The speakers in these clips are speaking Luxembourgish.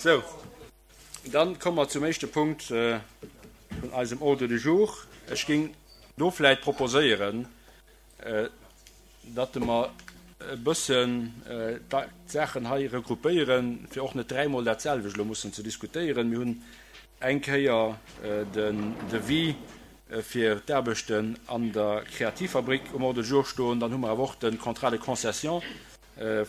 Sou, dann komme mer zum éischte Punkt vun eisem Ordre du jour. Ech géing do vläicht proposéieren, datt mer e bëssen d'Saachen hei regroupéieren, fir och net dräimol dat selwecht elo mussen ze diskutéieren. Mir hunn eng Kéier den Devis fir d'Aarbechten an der Kreativfabrik um Ordre du jour stoen, dann hu mer awer och de Contrat de concession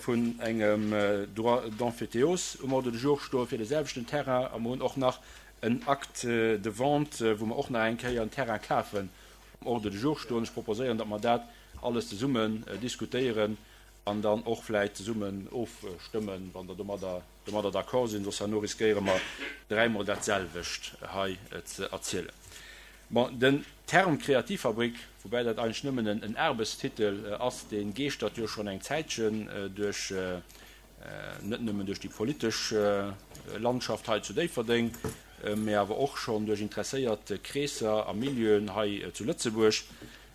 vun engem Droit d'emphytéose um Ordre du jour stoe fir de selwechten Terrain a mer hunn och nach en Acte de vente, wou mer och nach eng Kéier en Terrain kafen, um Ordre du jour stoen. Ech proposéieren, datt mer dat alles zesummen diskutéieren an dann och vläicht zesummen ofstëmmen, wann Der domadder domadder d'accord sinn, soss herno riskéiere mer dräimol dat selwecht hei ze erzielen. Bon, den Term Kreativfabrik, woubäi dat eigentlech nëmmen en Aarbechtstitel ass, dee geeschtert jo schonn eng Zäitchen duerch, net nëmmen duerch déi politesch Landschaft hei zu Déifferdeng, mä awer och schonn duerch interesséiert Kreesser a Milieuen hei zu Lëtzebuerg.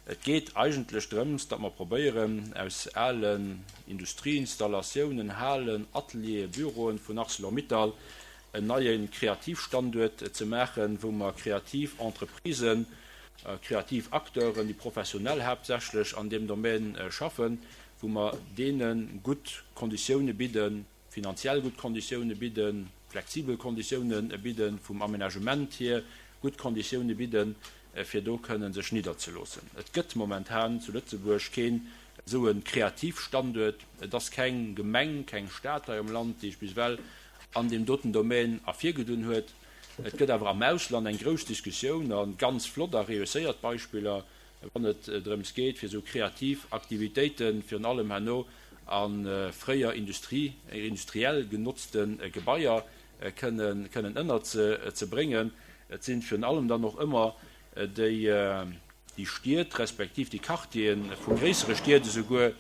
Et geet eigentlech drëms, datt mer probéieren, aus alen Industrieinstallatiounen, Halen, Atelieren, Büroen vun Arcelor-Mittal en neie Kreativstanduert ze maachen, wou mer kreativ Entreprisen, kreativ Acteuren, déi professionell haaptsächlech an deem Domän schaffen, wou mer deene gutt Konditioune bidden, finanziell gutt Konditioune bidden, flexibel Konditioune bidden, vum Aménagement hier gutt Konditioune bidden, fir do kënnen sech nidderzeloossen. Et gëtt momentan zu Lëtzebuerg keen esou e Kreativstanduert. Et ass keng Gemeng, keng Stad hei am Land, déi sech bis ewell an deem doten Domän ervirgedunn huet. Et gëtt awer am Ausland eng grouss Diskussioun a ganz flott a reusséiert Beispiller, wann et drëms geet, fir esou kreativ Aktivitéiten, virun allem herno a fréier Industrie, industriell genotzte Gebaier kënnen, kënnen ënnerzebréngen. Et sinn virun allem dann och ëmmer déi, déi Stied respektiv déi Quartiere vu gréissere Stied esouguer,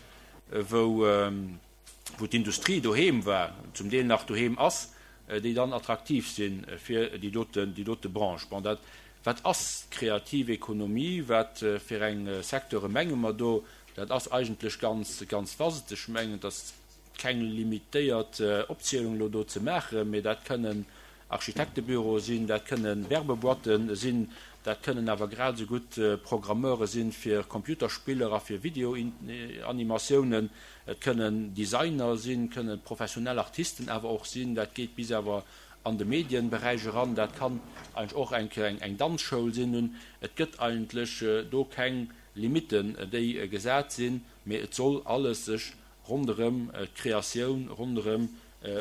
wou, wou d'Industrie doheem war, zum Deel nach doheem ass, déi dann attraktiv si fir déi doten, déi dote Branche. Bon, dat, wat ass d'kreativ Ekonomie, wat fir eng Secteure menge mer do? Dat ass eigentlech ganz, ganz vast. Ech mengen, et ass keng limitéiert Opzielung elo do ze maachen, mee dat kënnen Architektebüroe sinn, dat kënne Werbeboîten sinn, dat kënnen awer grad esou gutt Programmeure sinn fir Computerspiller a fir Videoanimatiounen, et kënnen Designer sinn, kënne professionell Artisten awer och sinn, dat geet bis awer an de Medienberäich eran, dat kann eigentlech och eng eng Danzschoul sinn. Nun, et gëtt eigentlech do keng Limitten, déi gesat sinn, mee et soll alles sech ronderëm d'Kreatioun, ronderëm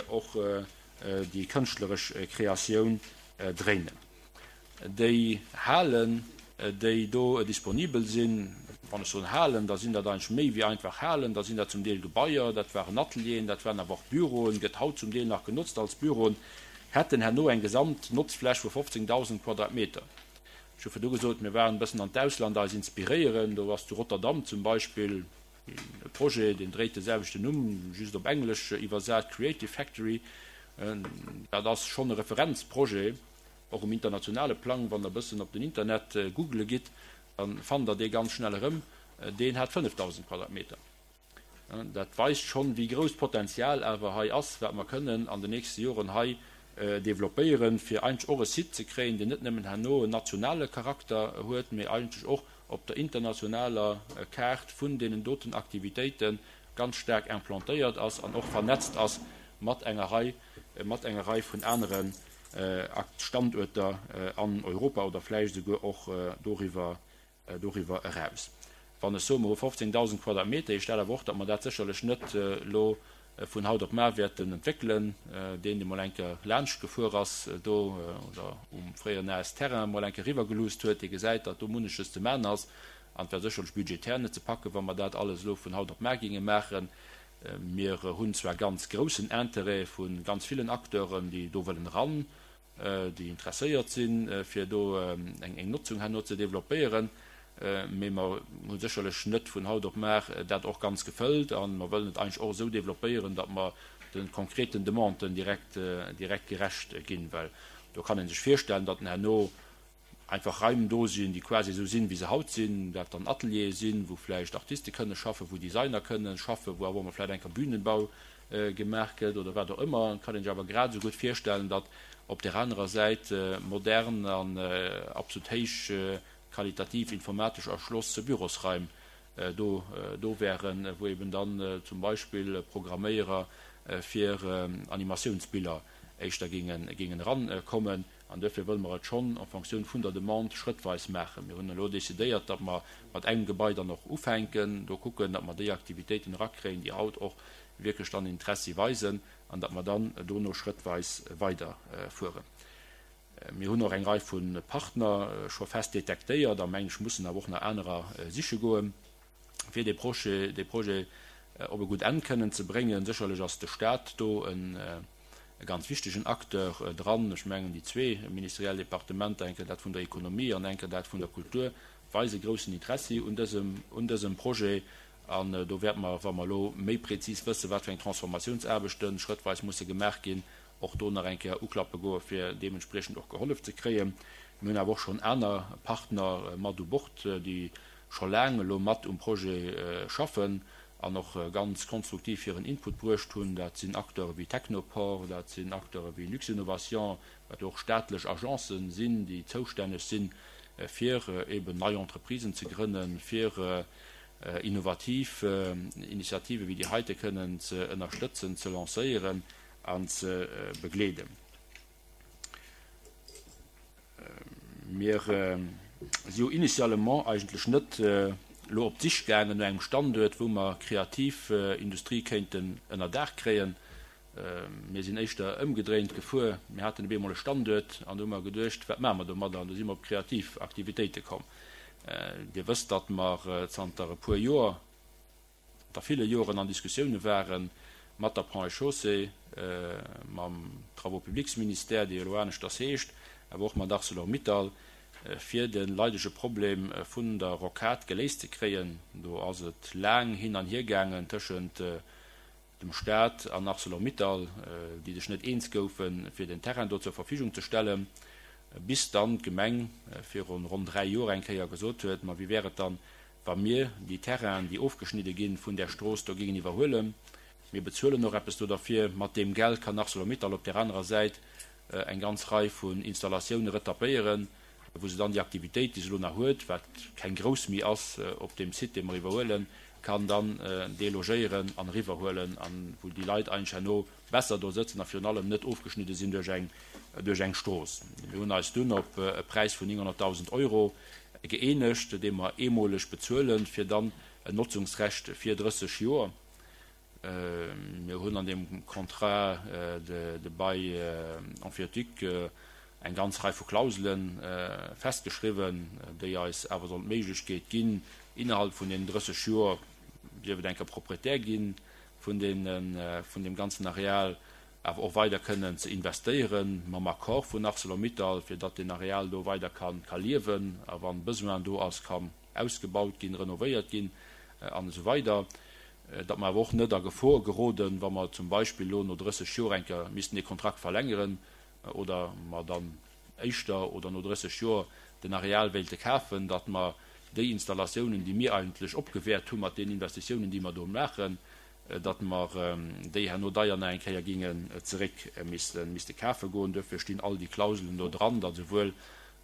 och déi kënschtleresch Kreatioun dréinen. Déi Halen, déi do disponibel sinn, wann ech soen Halen, da sinn dat eigentlech méi wéi einfach Halen, da sinn dat zum Deel Gebaier, dat waren Atelieren, dat waren awer och Büroen, gëtt haut zum Deel nach genotzt als Büroen, hätten herno eng Gesamtnotzfläch vu 15.000 Quadratmeter. Ech hu virdu gesot, mir waren e bëssen an d'Ausland eis inspiréieren, do ass zu Rotterdam zum Beispill, E Projet, deen dréit de selwechten Numm, just op Englesch iwwersat, Creative Factory. Dat ass schonn e Referenzprojet, och um internationale Plang. Wann Der e bëssen op den Internet googele gitt, da fannt Der dee ganz schnell erëm. Deen hat 5.000 Quadratmeter. Dat weist schonn, wéi grouss d'Potenzial awer hei ass, wat mer kënnen an den nächste Joren hei developpéieren, fir eigentlech och e Site ze kréien, deen net nëmmen herno en nationale Charakter huet, mee eigentlech och op der internationaler Kaart vun deenen doten Aktivitéite ganz staark implantéiert ass an och vernetzt ass mat enger Rei, mat enger Rei vun anere Standuerter an Europa oder vläicht esouguer och doriwwer, doriwwer eraus. Wann ech soen, mer hu 15.000 Quadratmeter, heescht dat awer och, datt mer dat sécherlech net elo vun haut op mar wäerten entwéckelen. Deen, dee mol eng Kéier laanscht gefuer ass do oder um fréieren AS Terrain mol eng Kéier eriwwergeluusst huet, dee gesäit, datt do munneches ze man ass. An et wär sécherlech budgetär net ze packen, wa mer dat alles elo vun haut op mar géinge maachen. Mir hunn zwar ganz groussen Interêt vu ganz villen Acteuren, déi do wëllen eran, déi interesséiert sinn, fir do eng Notzung herno ze développéieren, mee mer hu sécherlech net vun haut op mar dat och ganz gefëllt a mer wëllen et eigentlech och esou développéieren, datt mer de konkreten Demanden direkt, direkt gerecht ginn, well do kann ee sech virstellen, datt herno einfach Raim do sinn, déi quasi esou sinn, wéi se haut sinn, dat dann Ateliere sinn, wou vläicht Artiste kënne schaffen, wou Designer kënne schaffen, wou awer och mol vläicht eng Kéier Bühnenbau. gemaach gëtt oder wat och ëmmer. Et kann een sech awer grad esou gutt virstellen, datt op där anerer Säit modern an absolut héich qualitativ informatesch erschloss Bürosraim do do wären, wou eben dann zum Beispill Programméierer fir Animatiounsbiller éischter géingen géingen erankommen. An duerfir wëlle mer et schonn en Fonctioun vun der Demande schrëttweis maachen. Mir hunn elo decidéiert, datt mer mat engem Gebai dann och ufänken, do kucken, datt mer déi Aktivitéiten erakréien, déi haut och wierklech dann Interessi weisen, an datt mer dann dono schrëttweis weiderfueren. Mir hunn och eng Rei vu Partner scho fest detektéiert a meng ech mussen awer och nach anerer siche goen, fir dee Projet, dee Projet op e gutt Enn kënnen ze bréngen. Sécherlech ass de Stat do e ganz wichtegen Acteur dran. Ech mengen, déi zwee ministeriell Departementer, eng Kéier dat vun der Ekonomie an eng Kéier dat vun der Kultur, weise groussen Interessi un dësem, un dësem Projet. An do wäerte mer, wa mer elo méi prezis wëssen, wat fir eng Transformatiounsaarbechte schrëttweis musse gemaach ginn, och do nach eng Kéier uklappe goe fir deementspriechend och gehollef ze kréien. Mir hunn awer och schonn aner Partner mat u Bord, déi scho laang elo mat um Projet schaffen an och ganz konstruktiv hiren Input bruecht hunn. Dat sinn Acteure wéi Technoport, dat sinn Acteure wéi Luxinnovation, wat jo och staatlech Agencen sinn, déi zoustänneg sinn, fir eeben nei Entreprisen ze grënnen, fir innovativ Initiative wéi déi heite kënnen ze ënnerstëtzen, ze lancéieren an ze begleeden. Mir si jo initialement eigentlech net elo op d'Sich gaangen no engem Standuert, wou mer kreativ Industrie kéinten ënner Daach kréien. Mir sinn éischter ëmgedréint gefuer. Mir haten op eemol e Standuert an do hu mer geduecht, wat maache mer domadder? An do si mer op kreativ Aktivitéite komm. Dir wësst, datt mer zanter e puer Joer, zanter ville Joren an Diskussioune ware mat der Ponts et Chaussées, mam Travaux publics-Ministère, dee jo elo aneschters heescht, awer och mat Arcelor-Mittal, fir de leidege Problem vun der Rocade geléist ze kréien. Do ass et laang hin an hier gaangen tëschent dem Staat an Arcelor-Mittal, déi sech net eens goufen, fir den Terrain do zur Verfügung ze stellen, bis dann d'Gemeng virun ronn 3 Joer eng Kéier gesot huet, Ma wéi wär et dann, wa mir déi Terrainen, déi ofgeschnidde ginn vun där Strooss do, géingen iwwerhuelen? Mir bezuelen och eppes do derfir. Mat deem Geld kann Arcelor-Mittal op där anerer Säit eng ganz Rei vun Installatioune retapéieren, wou se dann déi Aktivitéit, déi se elo nach huet, wat keng grouss méi ass op deem Site, dee mer iwwerhuelen, kann dann delogéieren an eriwwerhuelen an wou déi Leit eigentlech herno besser do sëtzen a virun allem net ofgeschnidde sinn duerch eng, duerch eng Strooss. Mir hunn eis dunn op e Präis vun 900.000 Euro gëeenegt, dee mer eemoleg bezuelen, fir dann en Notzungsrecht fir 30 Joer. Mir hunn an deem Contrat de bail emphytéotique eng ganz Rei vu Klausele festgeschriwwen, déi eis awer sollen d'Méiglechkeet ginn, innerhalb vun deenen 30 Joer, sief et eng Kéier Proprietär gi vun deem ganzen Areal, awer och weider kënnen ze investéieren, mam Accord vun Arcelor-Mittal, fir datt deen Areal do weider ka liewen a wann Besoin do ass, ka ausgebaut ginn, renovéiert ginn an esou weider. Datt mer awer och net a Gefor geroden, wa mer zum Beispill elo no 30 Joer eng Kéier missten dee Kontrakt verlängeren oder mer dann éischter oder no 30 Joer den Areal wéilte kafen, datt mer déi Installatiounen, déi mir eigentlech opgewäert hu mat deenen Investitiounen, déi mer do maachen, datt mer déi herno deier nach eng Kéier géingen zeréck misste kafe goen. Duerfir stinn all déi Klauselen do dran, datt esouwuel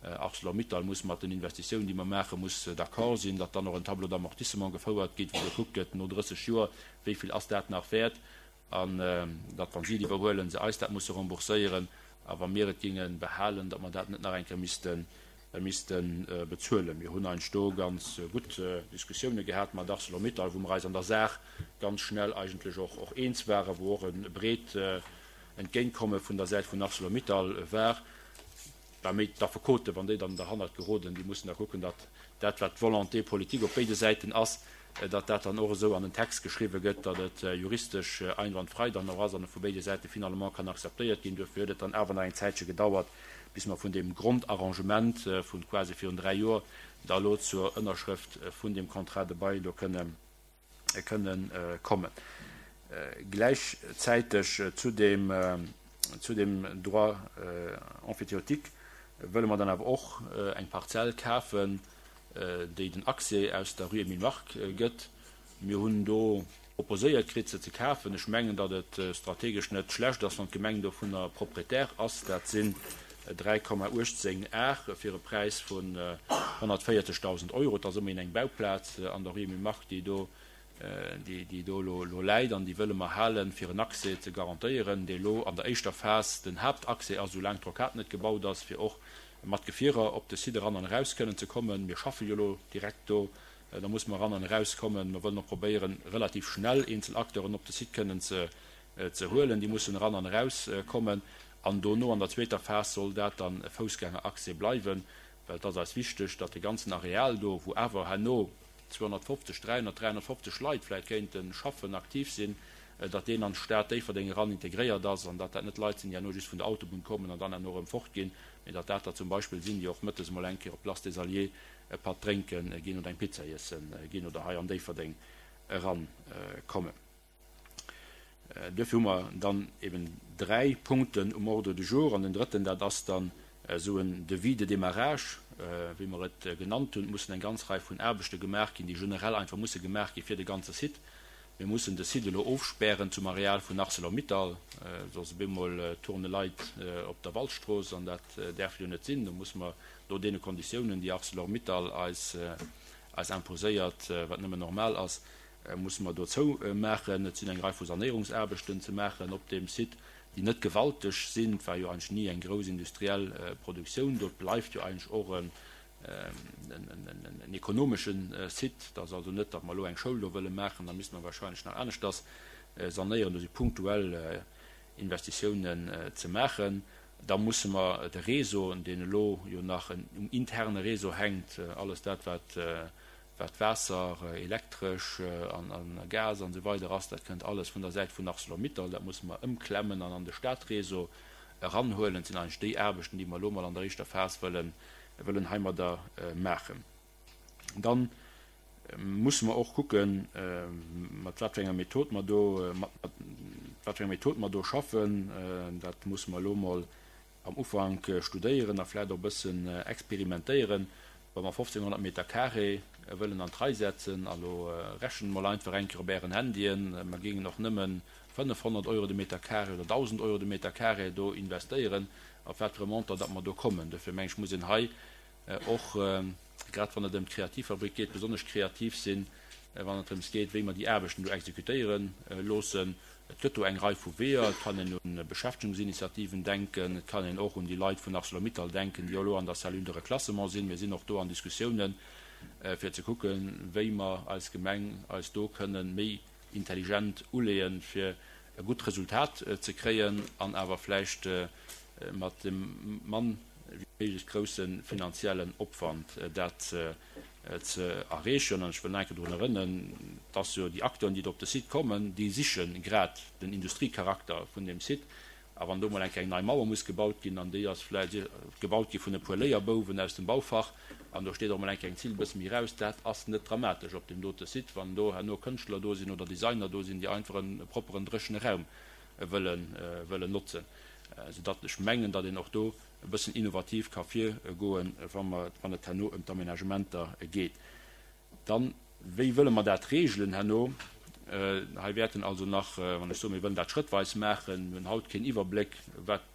Arcelor-Mittal muss mat den Investitiounen, déi mer maachen, muss d'accord sinn, datt dann och en Tableau d'amortissement gefouert gétt, wou gekuckt gëtt no 30 Joer, wéi vill ass dat nach wäert, an datt, wa si et iwwerhuelen, se eis dat musse rembourséieren, a wa mir et géinge behalen, datt mer dat net nach eng Kéier misste misste bezuelen. Mir hunn eigentlech do ganz gutt Diskussioune gehat mat Arcelor-Mittal, wou mer eis an der Saach ganz schnell eigentlech och eens waren, wou och e breet Entgéintkomme vun der Säit vun Arcelor-Mittal war. War méi d'Affekoten, wann déi dann derhannert geroden, déi mussen da kucken, datt dat, wat d'Volonté politique op béide Säiten ass, datt dat dann och esou an den Text geschriwwe gëtt, datt et juristesch einwandfrei dann och ass an et vu béide Säite finalement kann akzeptéiert ginn. Duerfir huet et dann awer nach eng Zäitche gedauert, bis mer vun deem Grondarrangement vu quasi virun 3 Joer da elo zur Ënnerschrëft vun deem Contrat de bail do kënne kënnen kommen. Gläichzäiteg zu deem, zu deem Droit emphytéotique wëlle mer dann awer och eng Parzell kafen, déi den Accès aus der Rue Emile Mark gëtt. Mir hunn do. Proposéiert kritt, se ze kafen. Ech mengen, datt et strategesch net schlecht ass, wann d'Gemeng dovunner Propriétaire ass. Dat sinn 3,18 Ar fir e Präis vun 140.000 Euro. Et ass ëmmerhin eng Bauplaz an der Rue Emile Mark, déi do, déi do elo läit an déi wëlle mer halen, fir en Accès ze garantéieren, dee lo an der éischter Phas den Haaptaccès ass, soulaang d'Rocade net gebaut ass, fir och mat Gefierer op de Site eran an eraus kënnen ze kommen. Mir schaffe jo elo direkt do Da musse mer eran an erauskommen. Mer wëllen och probéieren, relativ schnell eenzel Acteuren op de Site kënnen ze huelen. Déi mussen eran an erauskommen. An dono, an der zweeter Phas, soll dat dann e Foussgängeraccès bleiwen, well et ass eis wichteg, datt de ganzen Areal do, wou awer herno 250, 300, 350 Leit vläicht kéinte schaffen, aktiv sinn, datt deen an d'Stad Déifferdeng eran integréiert ass an datt dat net Leit sinn, déi herno just vun der Autobunn kommen an dann herno erëm fortginn, mee datt dat der zum Beispill sinn, déi och mëttes emol eng Kéier op d'Place des Alliés e Patt drénke ginn oder eng Pizza iesse ginn oder hei an Déifferdeng eran kommen. Duerfir hu mer dann eben dräi Punkten um Ordre du jour. An den drëtten, dat ass dann esou en Devis de démarrage, wéi mer et genannt hunn. Et mussen eng ganz Rei vun Aarbechte gemaach ginn, déi generell einfach musse gemaach gi fir de ganze Site. Mir mussen de Site elo ofspären zum Areal vun Arcelor-Mittal, soss op eemol turne Leit op der Waldstrooss an dat däerf jo net sinn. Do musse mer no deene Konditiounen, déi Arcelor-Mittal eis eis imposéiert, wat nëmmen normal ass, musse mer do zoumaachen. Et sinn eng Rei vu Sanéierungsaarbechten ze maachen op deem Site, déi net gewalteg sinn. Et war jo eigentlech ni eng grouss industriell Produktioun do. Et bleift jo eigentlech och en ekonomesche Site. Et ass also net, datt mer elo eng Schoul do wëlle maachen, da misste mer wahrscheinlech nach aneschters sanéieren. Do si punktuell Investitiounen ze maachen. Da musse mer de Réseau, deen elo jo nach um interne Réseau hänkt, alles dat wat wat Waasser, Elektresch an Gas an esou weider ass, dat kënnt alles vun der Säit vun Arcelor-Mittal, dat musse mer ëmklemmen an an de Stadréseau eranhuelen. Dat sinn eigentlech déi Aarbechten, déi mer elo mol an der éischter Phas wëllen wëllen heimadder maachen. Dann musse mer och kucken, mat wat fir enger Method mer do, mat wat fir enger Method mer do schaffen. Dat musse mer elo mol am Ufank studéieren a vläicht och e bëssen experimentéieren. Wa mer 1.500 Meter carré wëllen an d'Rei setzen, a lo rechent mol einfach eng Kéier op Ären Handyen, mer géingen och nëmme 500 Euro de Meter carré oder 1.000 Euro de Meter carré do investéieren, op wat fir e Montant datt mer do kommen. Dofir meng ech, muss een hei och, grad wann et ëm d'Kreativfabrik geet, besonnesch kreativ sinn, wann et drëms geet, wéi mer déi Aarbechten do exekutéiere loossen. Et gëtt do eng Rei vu Weeër. Et kann een u Beschäftegungsinitiativen denken, et kann een och un déi Leit vun Arcelor-Mittal denken, déi elo an der Cellule de reclassement sinn. Mir sinn och do an Diskussiounen, fir ze kucken, wéi mer als Gemeng eis do kënnen méi intelligent uleeën, fir e gutt Resultat ze kréien an awer vläicht mat dem mann wéi méiglech grousse finanziellen Opwand dat ze erreechen. An ech wëll nach eng Kéier drun erënnen, dass jo déi Acteuren, déi do op de Site kommen, déi siche grad den Industriecharakter vun deem Site. A wann do mol eng Kéier eng nei Mauer muss gebaut ginn, an déi ass vläicht gebaut gi vun e puer Léierbouwen aus dem Baufach, an do steet och mol eng Kéier eng Zill e bësse méi raus, dat ass net dramatesch op deem dote Site, wann do herno Kënschtler do sinn oder Designer do sinn, déi einfach e propperen, dréchene Raum wëllen notzen. Soudatt ech mengen, datt een och do e bëssen innovativ ka virgoen, wann et herno ëm d'Aménagementer geet. Dann, wéi wëlle mer dat regelen herno? Hei wäerten also nach, wann ech soen, mir wëllen dat schrëttweis maachen, mir hunn haut keen Iwwerbléck, wat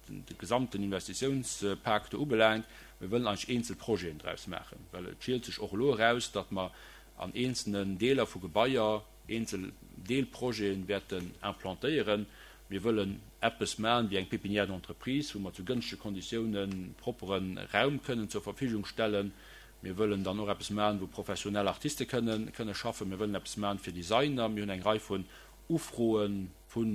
de gesamten Investitiounspak do ubelaangt, mir wëllen eigentlech eenzel Projeten draus maachen, well et schielt sech och elo eraus, datt mer an eenzelnen Deeler vu Gebaier eenzel Deelprojete wäerten implantéieren. Mir wëllen eppes maachen wéi eng Pépinière d'entreprise, wou mer zu gënschtege Konditiounen proppere Raum kënnen zur Verfügung stellen. Mir wëllen dann och eppes maachen, wou professionell Artiste kënnen kënne schaffen. Mir wëllen eppes maachen fir Designer. Mir hunn eng Rei vun Ufroe vu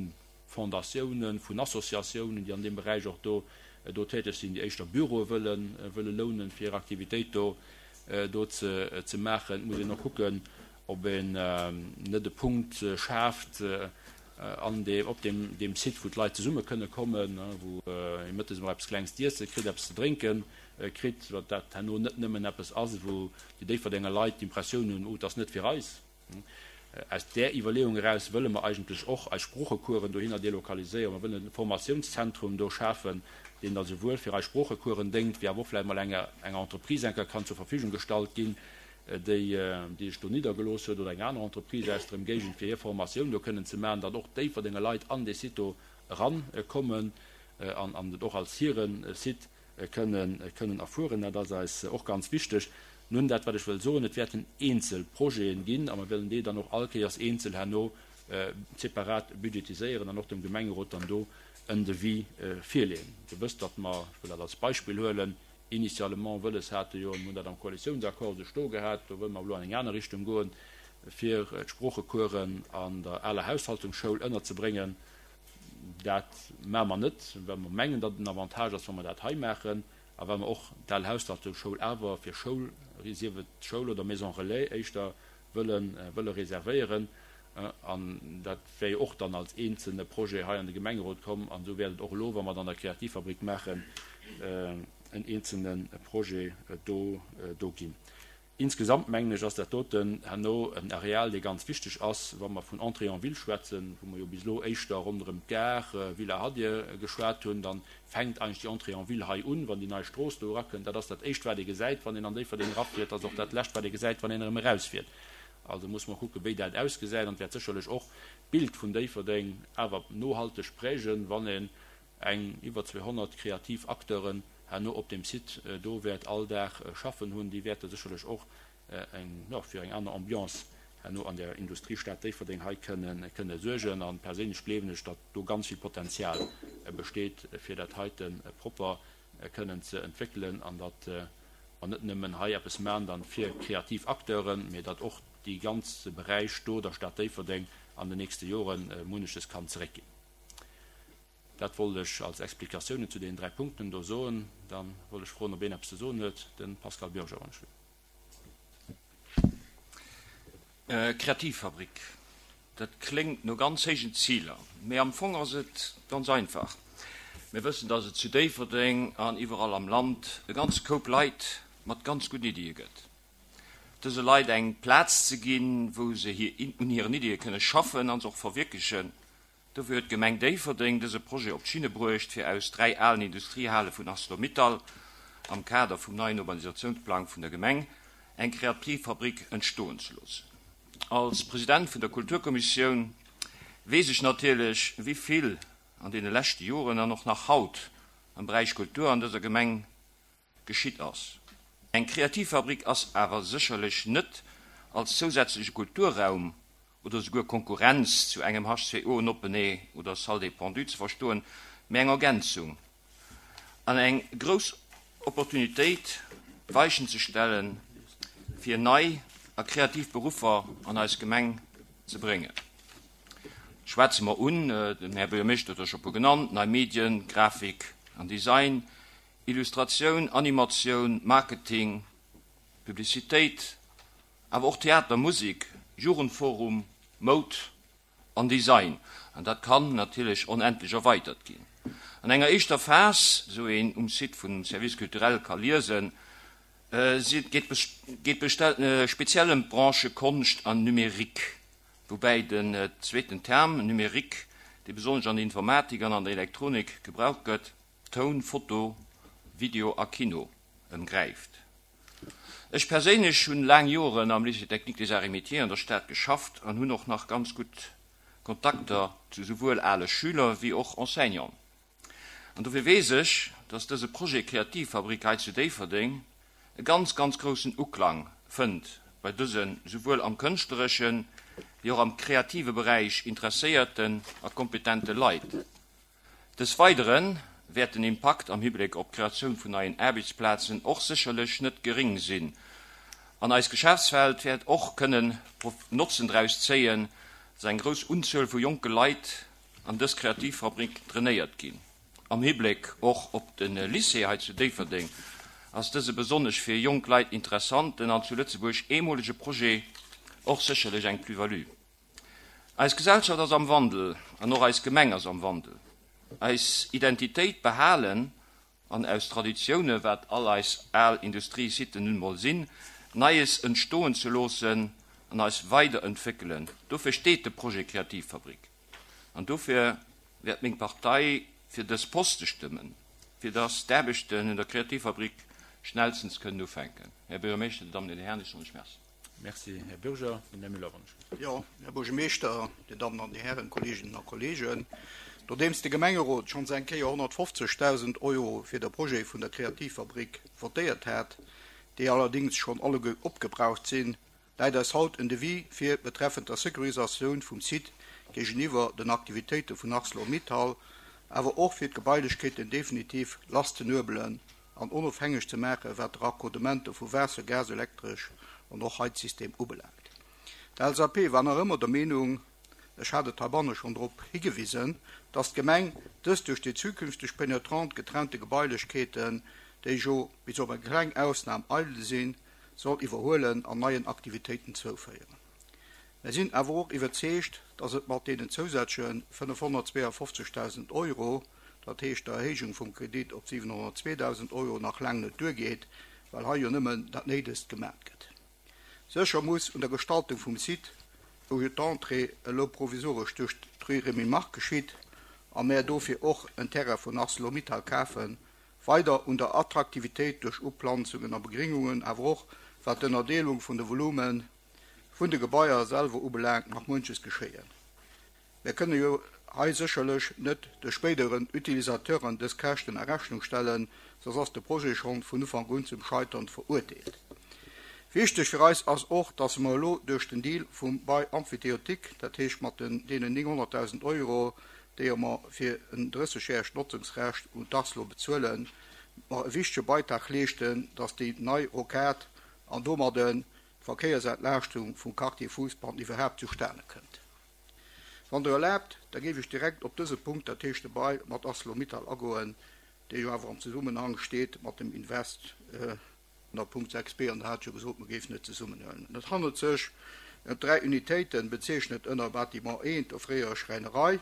Fondatiounen, vun Associatiounen, déi an deem Beräich och do do täteg sinn, déi éischter Büroe wëlle wëlle lounen, fir hir Aktivitéit do do ze ze maachen. Et muss een och kucken, ob een net e Punkt schaaft an deem op deem deem Site, wou d'Leit zesumme kënne kommen, wou ee mëttes emol eppes Klengs z'iesse kritt, eppes ze drénken kritt, datt dat herno net nëmmen eppes ass, wou déi Déifferdenger Leit d'Impressioun hunn, oh, et ass net fir eis. Aus där Iwwerleeung eraus wëlle mer eigentlech och eis Sproochecoursen dohinner delokaliséieren. Mer wëllen e Formatiounszentrum do schafen, deen da souwuel fir eis Sproochecoursen déngt, wéi awer och vläicht mol enger enger Entreprise enker kann zur Verfügung gestallt ginn. déi déi sech do niddergelooss huet, oder eng aner Entreprise aus der Ëmgéigend, fir hir Formatioun do kënnen ze maachen, datt och Déifferdenger Leit an dee Site do erankommen an an et och als hire Site kënnen kënnen erfueren. Dat ass eis och ganz wichteg. Nun, dat wat ech wëll soen, et wäerten eenzel Projeten ginn a mer wëllen déi dann och all Kéiers eenzel herno separat budgetiséieren an och dem Gemengerot dann do en Devis virleeën. Dir wësst, datt mer, ech wëll dat als Beispill huelen, initialement wëlles hate jo, mir hunn dat am Koalitiounsaccord esou stoe gehat, do wëlle mer elo an eng aner Richtung goen, fir d'Sproochecoursen an der aler Haushaltungsschoul ënnerzebréngen. Dat maache mer net, well mer mengen, datt et en Avantage ass, wa mer dat hei maachen a well mer och d'al Haushaltungsschoul awer fir Schoul, sief et Schoul oder Maison relais, éischter wëlle reservéieren. An dat wär jo och dann als eenzelne Projet hei an de Gemengerot komm. An esou wäert et och elo, wa mer et an der Kreativfabrik maachen, en eenzelne Projet do ginn. Insgesamt, mengen ech, ass dat doten herno en Areal, dee ganz wichteg ass, wa mer vun Entrée en ville schwätzen, wou mer jo bis elo éischter ronderëm d'Gare, Villa Hadir, geschwat hunn. Dann fänkt eigentlech déi Entrée en ville hei un, wann déi nei Strooss do erakënnt. Dat ass dat Éischt, wat ee gesäit, wann een an Déifferdeng erafiert. Dat ass och dat Lescht, wat ee gesäit, wann een erëm erausfiert. Also muss mer kucken, wéi dat ausgesäit. An et wäert sécherlech och d'Bild vun Déifferdeng awer nohalteg prägen, wann een eng iwwer 200 kreativ Acteuren herno op deem Site do wäert all Dag schaffen hunn. Déi wäerte sécherlech och eng, jo, fir eng aner Ambiance herno an der Industriestad Déifferdeng hei kënne, kënne suergen. A perséinlech gleewen ech, datt do ganz vill Potenzial besteet, fir dat heite propper kënnen ze entwéckelen an datt mer net nëmmen hei eppes maachen dann fir kreativ Acteuren, mee datt och dee ganze Beräich do der Stad Déifferdeng an den nächste Jore munneches kann zeréckginn. Dat wollt ech als Explikatiounen zu deenen 3 Punkten do soen. Da wollt ech froen, ob een eppes ze soen huet. De Pascal Bürger, wann ech wëll. Kreativfabrik, dat kléngt no ganz héijen Ziler, mee am Fong ass et ganz einfach. Mir wëssen, dass et zu Déifferdeng an iwwerall am Land e ganze Koup Leit mat ganz gudden Iddie gëtt. Dëse Leit eng Plaz ze ginn, wou se un hiren Iddie kënne schaffen a se och verwierklechen, Dofir huet d'Gemeng Déifferdeng dëse Projet op d'Schinne bruecht, fir aus 3 alen Industriehale vun Arcelor-Mittal, am Kader vum neien Urbanisationsplang vun der Gemeng, eng Kreativfabrik entstoen ze loossen. Als President vun der Kulturkommissioun weess ech natierlech, wéi vill an deene leschte Joren an och nach haut am Beräich Kultur an dëser Gemeng geschitt ass. Eng Kreativfabrik ass awer sécherlech net als zousätzleche Kulturraum oder souguer Konkurrenz zu engem H2O en Open-Air oder Salle des Pendus ze verstoen, mä eng Ergänzung an eng grouss Opportunitéit, d'Weichen ze stellen, fir nei a kreativ Beruffer an eis Gemeng ze bréngen. Schwätze mer un, den Här Buergermeeschter huet der scho e puer genannt, nei Medien, Grafik an Design, Illustratioun, Animatioun, Marketing, Publicitéit, awer och Theater, Musek, Jugendforum, Moud an Design. An dat kann natierlech onendlech erweidert ginn. An enger éischter Phas, esou een um Site vum Service culturel ka liesen, geet speziell ëm d'Branchë Konscht an Numérique, woubäi den zweeten Term, Numérique, dee besonnesch an der Informatik an an der Elektronik gebraucht gëtt, Toun, Foto, Video a Kino ëmgräift. Ech perséinlech hunn laang Joren am Lycée Technique des Arts et Métiers an der Stad geschafft an hunn och nach ganz gutt Kontakter zu souwuel ale Schüler wéi och Enseignanten. An dofir weess ech, dass dëse Projet Kreativfabrik hei zu Déifferdeng e ganz, ganz groussen Uklang fënnt bei dëse souwuel am kënschtleresche wéi och am kreative Beräich interesséierten a kompetente Leit. Des Weidere wäert den Impakt am Hibléck op d'Kreatioun vun neien Aarbechtsplazen och sécherlech net geréng sinn an eis Geschäftswelt wäert och kënnen Notzen draus zéien, dass eng grouss Unzuel vu jonke Leit an dës Kreativfabrik trainéiert ginn. Am Hibléck och op de Lycée hei zu Déifferdeng ass dëse besonnesch fir jonk Leit interessanten an zu Lëtzebuerg eemolege Projet och sécherlech eng Plus-value. Eis Gesellschaft ass am Wandel an och eis Gemeng ass am Wandel. Eis Identitéit behalen an aus Traditioune, wat all eis al Industriesiten nun emol sinn, Neies entstoen ze loossen an eis weiderentwéckelen, dofir steet de Projet Kreativfabrik. An dofir wäert meng Partei fir dës Poste stëmmen, fir dass d'Aarbechten un der Kreativfabrik. schnellstens kënnen ufänken. Här Buergermeeschter, Dir Dammen an Dir Hären, ech soen lech Merci. Merci, Här Bürger. Den Här Müller, wann ech. Jo, Här Buergermeeschter, Dir Dammen an Dir Hären, Kolleeginnen a Kolleegen, nodeems de Gemengerot schonns eng Kéier 150.000 Euro fir de Projet vun der Kreativfabrik votéiert hat, déi allerdéngs schonn alleguer opgebraucht sinn, läit eis haut en Devis vir betreffend der Securisatioun vum Site géigeniwwer den Aktivitéite vun Arcelor-Mittal, awer och fir d'Gebailechkeeten definitiv lasszenuebelen an onofhängeg ze maache wat de Raccordementer vu Waasser, Gas, Elektresch an och Heizsystem ubelaangt. D'LSAP war nach ëmmer der Meenung, ech hat et heibanne schonn drop higewisen, dass d'Gemeng dës duerch déi zukünfteg penetrant getrennte Gebailechkeeten, déi jo bis op eng kleng Ausnam eidel sinn, soll iwwerhuelen an neien Aktivitéiten zouféieren. Mär sinn awer och iwwerzeegt, dass et mat deenen zousätzleche 552.000 Euro, dat heescht der Erhéijung vum Kredit op 702.000 Euro, nach laang net duergeet, well hei jo nëmmen dat Néidegst gemat gëtt. Sécher muss un der Gestaltung vum Site, wou jo d'Entrée elo provisoresch duerch d'Rue Rémy Margue geschitt a mär dofir och en Terrain vun Arcelor-Mittal kafen, weider un der Attraktivitéit duerch Uplanzungen a Begringungen, awer och wat d'Ënnerdeelung vun de Volume vun de Gebaier selwer ubelaangt, nach munches geschéien. Mir kënne jo hei sécherlech net de spéideren Utilisateuren dës Käschten a Rechnung stellen, soss ass de Projet schonn vun Ufank un zum Scheitern verurteelt. Wichteg fir eis ass och, dass mer elo duerch den Deal vum Bail emphytéotique, dat heescht mat den deenen 900.000 Euro, déi mer fir en drëssegjäregt Notzungsrecht un d'Arcelor bezuelen, mer e wichtege Beitrag leeschten, dass déi nei Rocade an domadden d'Verkéiersentlaaschtung vum Quartier Fousbann iwwerhaapt zustane kënnt. Wann Der erlaabt, da géif ech direkt op dëse Punkt, dat heescht de Bail mat Arcelor-Mittal agoen, dee jo awer am Zesummenhang steet mat dem Invest ënner Punkt 6 b, an Der hat jo gesot, mer géifen et zesummenhuelen. Et handelt sech ëm dräi Unitéiten, bezeechnet ënner Bâtiment I, der fréierer Schräinerei,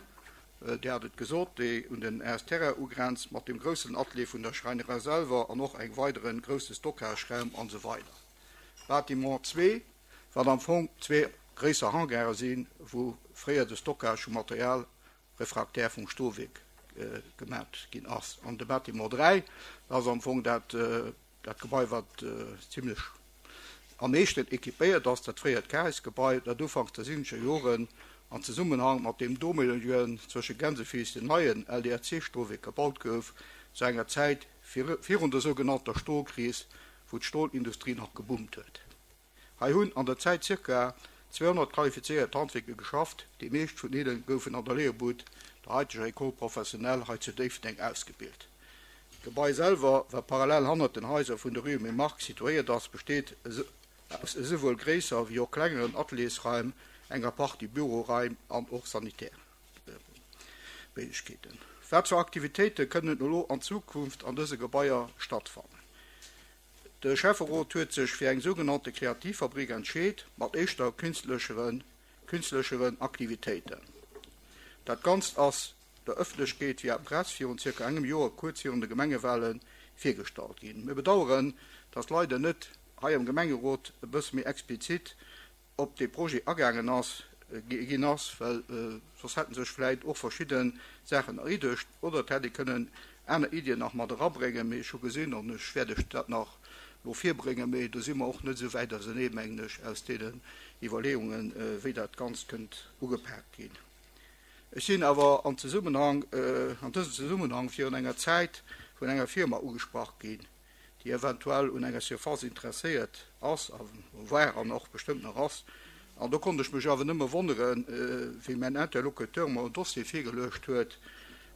Dir hat et gesot, déi un den Aes Terrain ugrenzt, mat dem groussen Atelier vun der Schräinerei selwer an och engem weidere grousse Stockageraum an esou weider. Bâtiment zwee, wat am Fong zwee gréisser Hangare sinn, wou fréier de Stockage vu Material refractaire vum Stolwierk gemat ginn ass. An de Bâtiment 3, dat ass am Fong dat, dat Gebai, wat zimlech am meeschten équipéiert ass, dat fréiert Caris-Gebai, dat ufanks der siwwenzeger Joren an Zesummenhang mat deem domelegen zwësche Gänsefiiss den neien LDRC-Stolwierk gebaut gouf, zu enger Zäit virun der sougenannter Stolkris, wou d'Stolindustrie nach geboomt huet. Hei hunn an der Zäit zirka 200 qualifizéiert Handwierker geschafft, déi meescht vun hinne goufen an der Léierbud, der haiteger École professionnelle hei zu Déifferdeng, ausgebilt. D'Gebai selwer, wat parallel hannert den Haiser vun der Rue Emile Mark situéiert ass, besteet aus esouwuel gréisser wéi och klengeren Ateliersraim, enger Partie Büroraim an och Sanitärméiglechkeeten. Wat fir Aktivitéite kënnen elo an Zukunft an dëse Gebaier stattfannen? De Schäfferot huet sech fir eng sougenannte Kreativfabrik entscheet, mat éischter künstlescheren Aktivitéiten. Dat Ganzt ass der Ëffentlechkeet via Press virun zirka engem Joer, kuerz virun de Gemengewale virgestallt ginn. Mir bedaueren, dass leider net hei am Gemengerot e bësse méi explizit op dee Projet agaangen ass, ginn ass, well soss hätte sech vläit och verschidde Saachen erriddegt oder et hätt ee kënnen aner Iddien nach mat erabréngen. Mee ech hu gesinn, an ech wäert Iech dat nach elo virbréngen, mee do si mer och net esou wäit ausenee, mengen ech, aus deenen Iwwerleeungen, wéi dat Ganzt kënnt ugepaakt ginn. Ech sinn awer an Zesummenhang, an dësem Zesummenhang virun enger Zäit vun enger Firma ugesprach ginn, déi eventuell un enger Surface interesséiert ass a war an och bestëmmt nach ass. An do konnt ech mech awer nëmme wonneren, wéi mäin Interlocuteur mer en Dossier virgeluecht huet,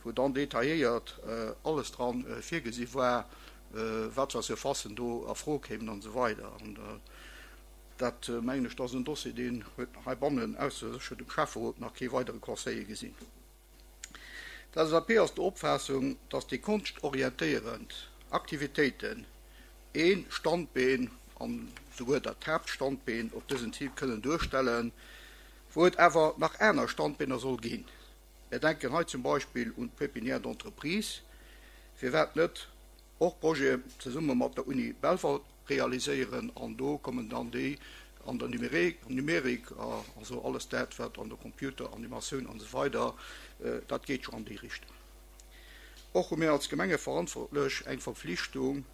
wou dann detailléiert alles dran virgesi war, wat fir Surfacen do a Fro kéimen an esou weider. An dat, mengen ech, dat ass en Dossier, deen huet heibannen, ausser sécher dem Schäfferot, nach kee weidere Conseiller gesinn. D'LSAP ass der Opfaassung, dass déi konschtorientéierend Aktivitéiten ee Standbeen, an souguer dat Haaptstandbeen op dësem Site kënnen duerstellen, wou et awer nach aner Standbeener soll ginn. Mir denken hei zum Beispill un d'Pépinière d'entreprise. Firwat net och Projeten zesumme mat der Uni Belval realiséieren an do kommen dann déi an der Numerik, also alles dat wat an der Computeranimatioun an esou weider, dat geet jo an déi Richtung. Och hu mir als Gemengeverantwortlech eng Verpflichtung.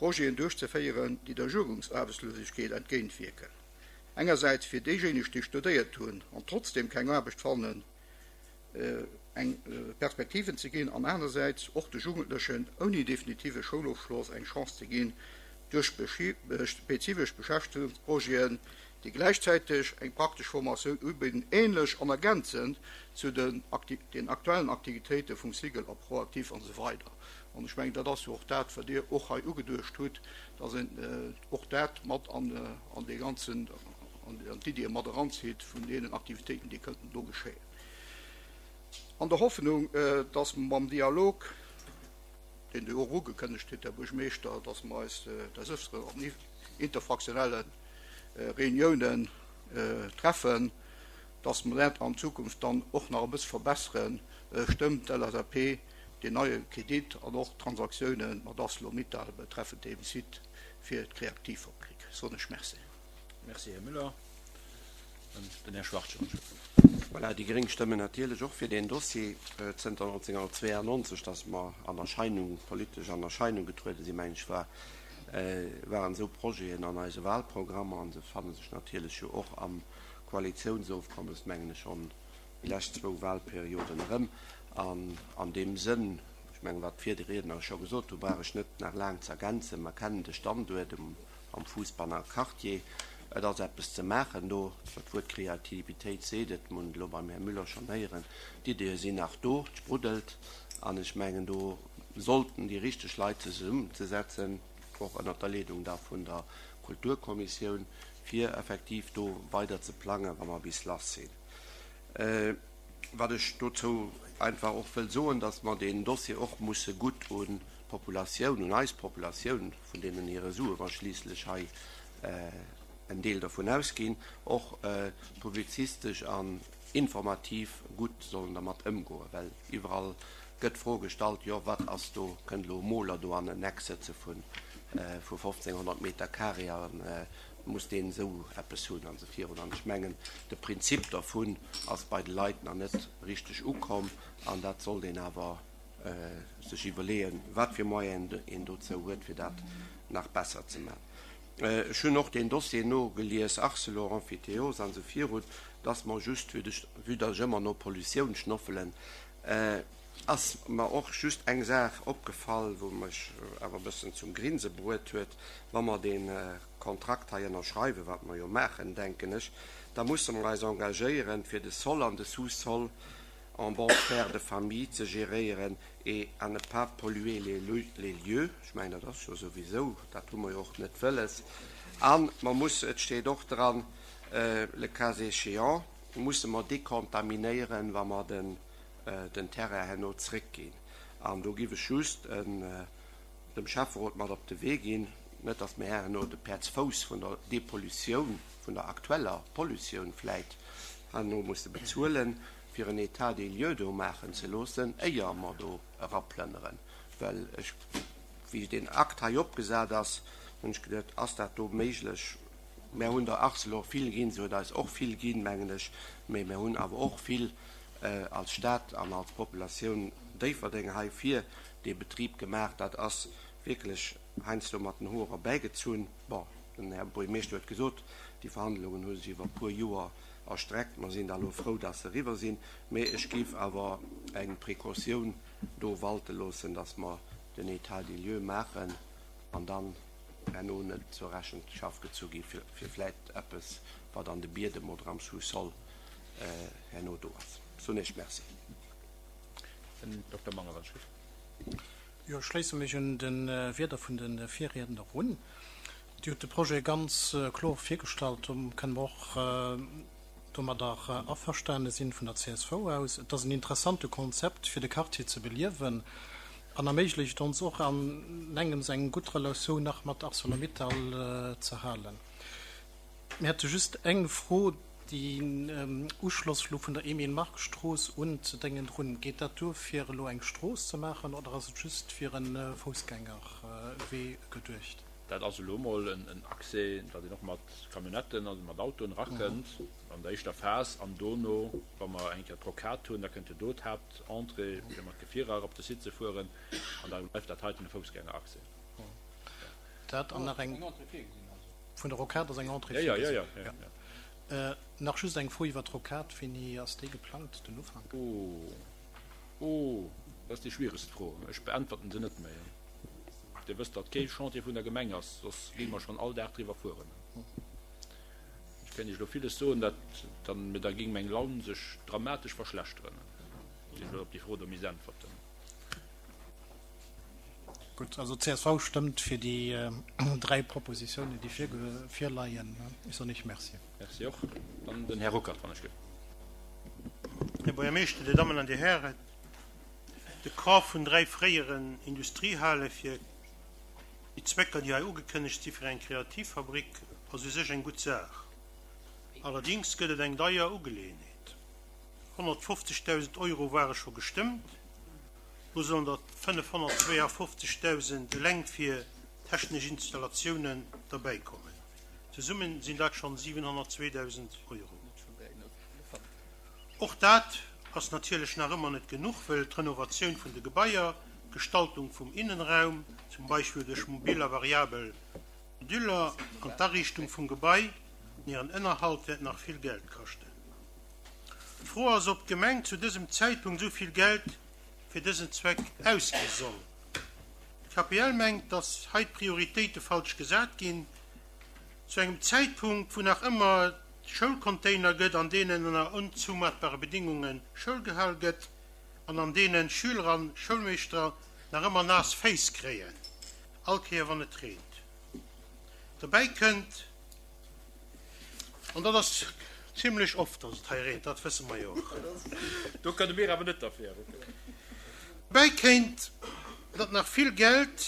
Projeten duerchzeféieren, déi der Jugendsaarbechtslosegkeet entgéintwierken. Engersäits fir déijéineg, déi studéiert hunn an trotzdeem keng Aarbecht fannen, eng Perspektiven ze ginn an anersäits och de Jugendlechen ouni definitive Schoulofschloss eng Chance ze ginn, duerch spezifesch Beschäftegungsprojeten, déi gläichzäiteg eng praktesch Formatioun ubidden, änlech an ergänzend zu den aktuellen Aktivitéite vum Cigl a ProActif an esou weider. An ech mengen, dat ass jo och dat, wat Dir och hei ugeduecht hutt, dass een och dat mat an dee ganzen, an d'Iddie mat eranzitt vun deenen Aktivitéiten, déi kënnten do geschéien. An der Hoffnung, dass mer mam Dialog, deen Dir och ugekënnegt hutt, Här Buergermeeschter, dass mer eis des Öfteren an interfraktionelle Reuniounen treffen, dass mer dat an Zukunft dann och nach e bësse verbesseren, stëmmt d'LSAP deen neie Kredit an och d'Transaktiounen mat Arcelor-Mittal betreffend deem Site fir d'Kreaktivfabrik. Soen ech Merci. Merci, Här Müller. Den Här Schwachtgen. Voilà, déi gréng stëmmen natierlech och fir deen Dossier. Zënter 1992, datt mer an Erscheinung, politesch an Erscheinung getruede sinn, mengen ech, war, waren esou Projeten an eise Wahlprogrammer an se fanne sech natierlech jo och am Koalitiounsofkommes, mengen ech, schonn déi lescht zwou Wahlperioden erëm. An an deem Sënn, ech mengen, wat d'Virriedner scho gesot hu brauch ech net nach laang ze ergänzen. Mer kennen de Standuert um am Fuussbanner Quartier. Et ass eppes ze maachen do. Dat Wuert Kreativitéit seet et, mir hunn et elo beim Här Müller schonn héieren. D'Iddie sinn nach do, et spruddelt. An ech mengen, do sollten déi richteg Leit zesummezesetzen, och ënnert der Leedung da vun der Kulturkommissioun, fir effektiv do weider ze plangen, wa mer bis lass sinn. Wat ech dozou einfach och wëll soen, dass mer deen Dossier och musse gutt un d'Populatioun, un eis Populatioun, vun deenen hire Sue mer schliisslech hei en Deel dovun ausginn, och publizistesch an informativ gutt sollen dermat ëmgoen. Well iwwerall gëtt d'Fro gestallt, jo wat ass do, kënnt elo e Moler do an en Eck sëtze vu 1.500 Meter carré a muss deen esou eppes hunn an esou virun. An ech mengen, de Prinzip dervun ass bei de Leit nach net richteg ukomm an dat sollt een awer sech iwwerleeën, wat fir Moyenen een dozou huet, fir dat nach besser ze maachen. Ech hunn och deen Dossier nogelies, Arcelor, Emphytéose an esou virun, dass mer just, vue dass ech ëmmer no Pollutioun schnoffelen, ass mer och just eng Saach opgefall, wou mech awer e bëssen zum Grinse bruet huet, Wa mer dee Kontrakt hei ënnerschreiwen, wat mer jo maachen, denken ech, da musse mer eis engagéieren, fir de Sol an de Sous-sol en bon père de famille ze géréieren et à ne pas polluer les lieux. Ech mengen, dat ass jo souwisou, dat hu mer jo och net wëlles. A mer musse, et steet och dran, le cas échéant, musse mer dekontaminéieren, wa mer den Terrain herno zréckginn. An do giff ech just dem Schäfferot mat op de Wee ginn, net datt mir herno de Päerdsfouss vun der Depollutioun, vun der aktueller Pollutioun vläit herno musse bezuelen, fir en État des lieux do maachen ze loossen, éier mer do eraplënneren. Well ech, wéi deen Akt hei opgesat ass, hunn ech geduet, ass dat do méiglech? Mär hunn der Arcelor vill ginn, se huet eis och vill ginn, mengen ech, mä mär hunn awer och vill als Stad an als Populatioun Déifferdeng hei fir dee Betrib gemaach. Dat ass wierklech heiansdo mat den Hoer erbäigezunn. Bon, den Här Buergermeeschter huet gesot, déi Verhandlungen hu sech iwwer e puer Joer erstreckt. Mer sinn da elo frou, dass se eriwwer sinn. Mee ech géif awer eng Precautioun do walte loossen, dass mer den État des lieux maachen an dann herno net zur Rechenschaft gezu gi fir vläicht eppes, wat an de Biedem oder am Sous-sol herno do ass. Soen Iech Merci. Den Dokter Manger, wann ech gutt. Jo, ech schléisse mech un de Wierder vun de Virriedner un. Dir hutt de Projet ganz kloer virgestallt. Do kënne mer och domadder averstane sinn vun der csv aus. Et ass en interessante Konzept, fir de Quartier ze beliewen an erméiglecht ons och an engems eng gutt Relatioun nach mat Arcelor-Mittal ze halen. Mir hätte just eng Fro, Deen Uschloss elo vun der Emile-Mark-Strooss un ze Déngen drun, geet dat duer fir elo eng Strooss ze maachen oder ass et just fir e Foussgängerwee geduecht? Dat ass elo emol en Accès, datt een och mat Camionnetten, also mat Autoen erakënnt an der éischter Phas. An dono, wa mer eng Kéier d'Rocade hunn, da kënnt jo do d'Haaptentrée, fir mat Gefierer op de Site ze fueren. An da bleift dat heiten e Foussgängeraccès. Dat an nach eng vun der Rocade ass eng Entrée virgesinn. Jo. Nach just eng Fro iwwer d'Rocade, Wéini ass déi geplangt, den Ufank? Oh, oh, dat ass déi schwieregst Fro. Ech beäntwerten se net méi. Dir wësst, datt kee Chantier vun der Gemeng ass, soss géinge mer schonn all Dag driwwer fueren. Ech kéint Iech elo villes soen, dat dann, mee da géing meng Laun sech dramatesch verschlechteren, wann ech elo op déi Fro do misst äntwerten. Gutt, also csv stëmmt fir déi 3 Propositiounen, déi virleien. Ech soen Iech Merci. Merci och. Dann den Här Ruckert, wann ech gelift. Här Buergermeeschter, Dir Dammen an Dir Hären, de Kaf vun 3 fréieren Industriehale fir déi Zwecker, déi hei ugekënnegt si fir eng Kreativfabrik, ass u sech eng gutt Saach. Allerdings gëtt et eng deier Ugeleeënheet. 150.000 Euro ware scho gestëmmt, lo sollen der 552.000 eleng fir technesch Installatiounen derbäikommen. Zesummen sinn dat schonn 702.000 Euro. Och dat ass natierlech nach ëmmer net genuch, wëll d'Renovatioun vun de Gebaier, d'Gestaltung vum Innenraum, zum Beispill duerch mobil a variabel Moduler, an d'Ariichtung vum Gebai an hiren Ënnerhalt wäert nach vill Geld kaschten. D'Fro ass, ob d'Gemeng zu dësem Zäitpunkt esou vill Geld fir dësen Zweck ausgi soll. D'KPL mengt, datt hei d'Prioritéite falsch gesat ginn, zu engem Zäitpunkt, wou nach ëmmer Schoulcontainer gëtt, an deenen ënner onzoumatbare Bedingunge Schoul gehal gëtt an an deenen Schüler an Schoulmeeschter nach ëmmer naass Féiss kréien, all Kéier wann et reent. Dobäi kënnt, an dat ass zimlech oft, datt et hei reent, dat wësse mer jo och. Do kënne mir awer net derfir. Dobäi kéint, datt nach vill Geld,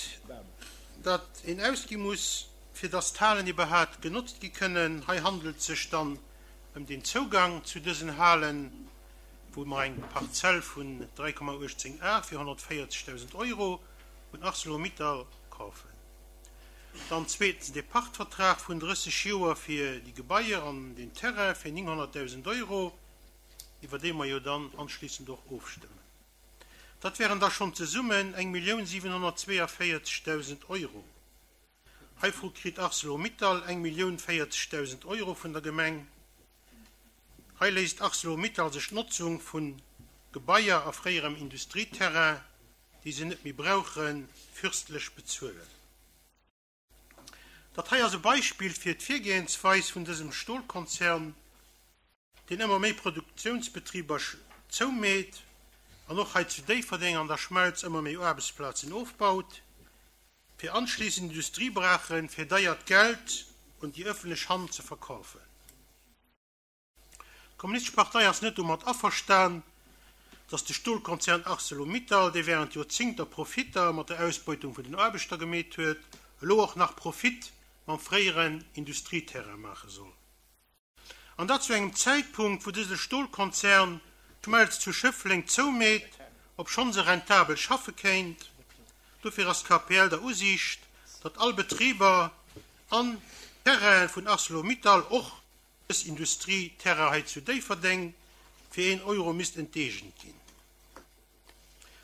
dat een ausgi muss, fir datt d'Halen iwwerhaat genotzt gi kënnen. Hei handelt et sech dann ëm den Zougang zu dësen Halen, wou mer eng Parzell vun 3,18 Ar fir 140.000 Euro un Arcelor-Mittal kafen. Dann zweetens de Pachtvertrag vun 30 Joer fir déi Gebaier an den Terrain fir 900.000 Euro, iwwer dee mer jo dann anschließend och ofstëmmen. Dat wären da schonn zesummen 1.742.000 Euro. Heivru kritt Arcelor-Mittal 1.040.000 Euro vun der Gemeng. Hei léisst Arcelor-Mittal sech d'Notzung vu Gebaier a fréierem Industrieterrain, déi se net méi brauchen, fürstlech bezuelen. Dat hei ass e Beispill fir d'Virgehensweis vun dësem Stolkonzern, deen ëmmer méi Produktiounsbetriber zoumeet an och hei zu Déifferdeng an der Schmelz ëmmer méi Aarbechtsplazen ofbaut. fir anschließend Industriebrachen fir deiert Geld un déi ëffentlech Hand ze verkaufen. D'Kommunistesch Partei ass net domat averstan, datt de Stolkonzern Arcelor-Mittal, dee während Joerzingter Profitter mat der Ausbeutung vun den Aarbechter gemeet huet, elo och nach Profit mam fréieren Industrieterrain maache soll. An dat zu engem Zäitpunkt, wou dëse Stolkonzern d'Schmelz zu Schëffleng zoumeet, obschonn se rentabel schaffe kéint. Dofir ass d'KPL der Usiicht, datt all Betriber an Terrainen vun Arcelor-Mittal, och dës Industrieterrain hei zu Déifferdeng, fir een Euro misst enteegent ginn.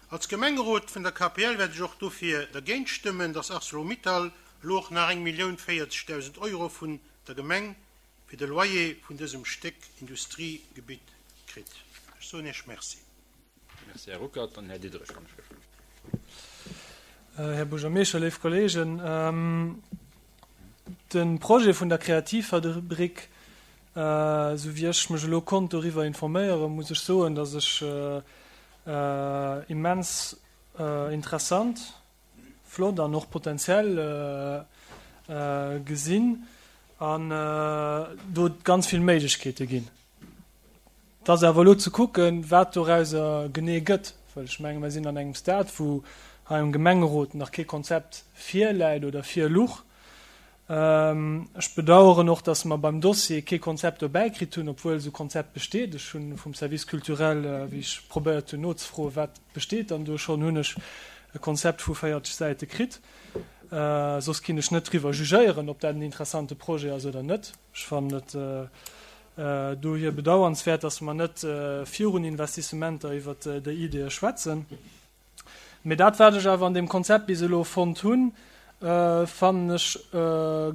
Als Gemengerot vun der KPL wäert ech och dofir dergéint stëmmen, dass Arcelor-Mittal elo och nach 1.040.000 Euro vun der Gemeng fir de Loyer vun dësem Stéck Industriegebitt kritt. Ech soen Iech Merci. Merci, Här Ruckert. Dann Här Diderich, wann ech gelift. Här Buergermeeschter, léif Kollegen, de Projet vun der Kreativfabrik Esou wéi ech mech elo konnt doriwwer informéieren, muss ech soen, dass ech immens interessant, flott an och potenziell gesinn an do ganz vill Méiglechkeete ginn. Et ass awer elo ze kucken, wat dorauser genee gëtt, well ech menge mer sinn an engem Stade, wou hei am Gemengerot nach kee Konzept virläit oder virluch. Ech bedauern och, dass mer beim Dossier kee Konzept dobäi kritt hunn, obwuel esou Konzept besteet. Ech hu vum Service culturel, wéi ech probéiert hunn nozefroen, wat besteet dann do schonn, hunn ech e Konzept vu 40 Säite kritt. Soss kinn ech net driwwer jugéieren, ob dat en interessante Projet ass oder net. Ech fannen et dohier bedauernswäert, dass mer net virun Investissementer iwwert déi Ideeë schwätzen. Mee dat, wat ech awer an deem Konzept bis elo fonnt hunn. fannen ech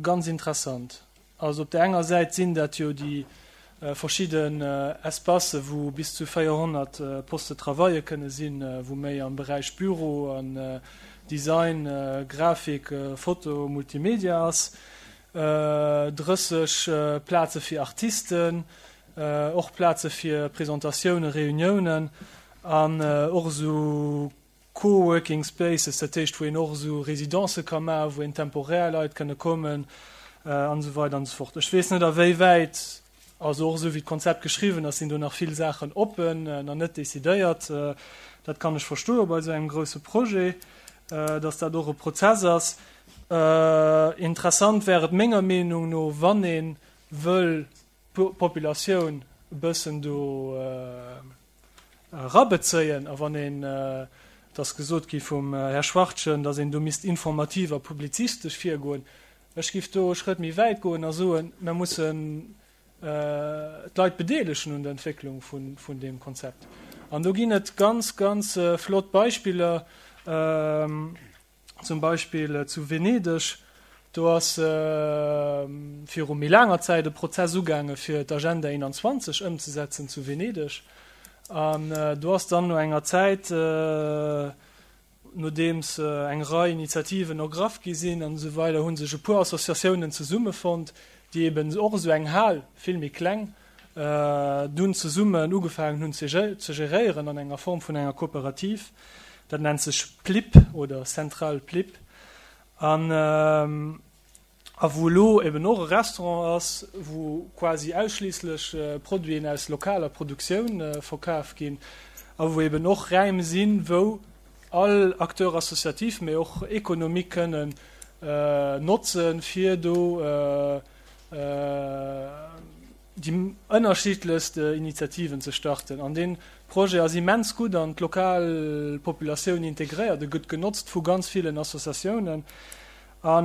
ganz interessant. Also op där enger Säit sinn dat jo déi verschidden Espacë wou bis zu 400 Postes de travaille kënne sinn, wou méi am Beräich Büro an Design, Grafik, Foto, Multimedia ass, 30 Plaze fir Artisten, och Plaze fir Presentatiounen, Reuniounen an och esou Co-working spaces, dat heescht wou een och esou Résidencë ka maachen, wou een temporär Leit kënne kommen an esou weider an esou fort. Ech weess net a wéi wäit, also och esou wéi d'Konzept geschriwwen ass, sinn do nach vill Saachen oppen, nach net decidéiert. Dat kann ech verstoe bei esou engem grousse Projet, dass dat och e Prozess ass. Interessant wär et menger Meenung no, wann ee wëll d'Populatioun e bëssen do erabezéien, a wann een, et ass gesot gi vum Här Schwachtgen, datt een do misst informativ a publizistesch virgoen, ech géif do e Schrëtt méi wäit goen a soen, mer mussen d'Leit bedeelegen un der Entwécklung vun deem Konzept. An do ginn et ganz, ganz flott Beispiller. Zum Beispill zu Venedeg, do ass viru méi laanger Zäit e Prozess ugaange fir d'Agenda 21 ëmzesetzen zu Venedeg. An do ass dann no enger Zäit, nodeems eng Rei Initiativen ergraff gi sinn an esou weider, hu sech e puer Associatiounen zesummefonnt, déi eben och esou eng Hal, vill méi kleng, dunn zesummen ugefaangen hunn ze geréieren an enger Form vun enger Kooperativ. Dat nennt sech PLIP oder Centrale PLIP an a wou elo eben och e Restaurant ass, wou quasi ausschliisslech Produiten aus lokaler Produktioun verkaf ginn a wou eben och Räim sinn, wou all Acteur associatif, mee och économique kënnen notzen, fir do déi ënnerschiddlechst Initiativen ze starten. An dee Projet ass immens gutt an d'lokal Populatioun integréiert. E gëtt genotzt vu ganz villen Associatiounen. A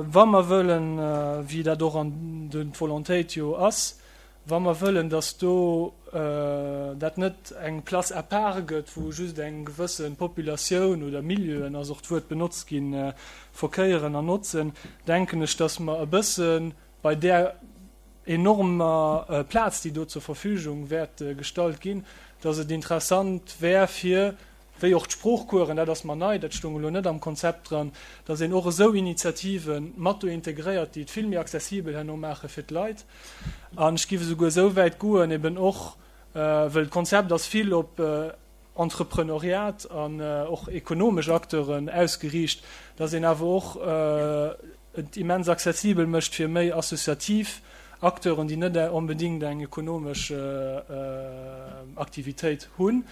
wa mer wëllen, wéi dat och an d'Volontéit jo ass, wa mer wëllen, datt do dat net eng Place à part gëtt, wou just eng gewësse Populatioun oder Milieuen, ass och d'Wuert benotzt ginn, verkéieren an notzen, denken ech, datt mer e bësse bei där enormer Plaz, déi do zur Verfügung wäert gestallt ginn, datt et interessant wär fir, wéi och d'Sproochcoursen, dat ass mer nei, dat stoung elo net am Konzept dran, datt een och esou Initiative mat do integréiert, déi et vill méi accessibel herno maache fir d'Leit. An ech géif esouguer esou wäit goen, eben och, well d'Konzept ass vill op Entrepreneuriat an och ekonomesch Acteuren ausgeriicht, datt een awer och et immens accessibel mécht fir méi associativ Acteuren, déi net onbedéngt eng ekonomesch Aktivitéit hunn,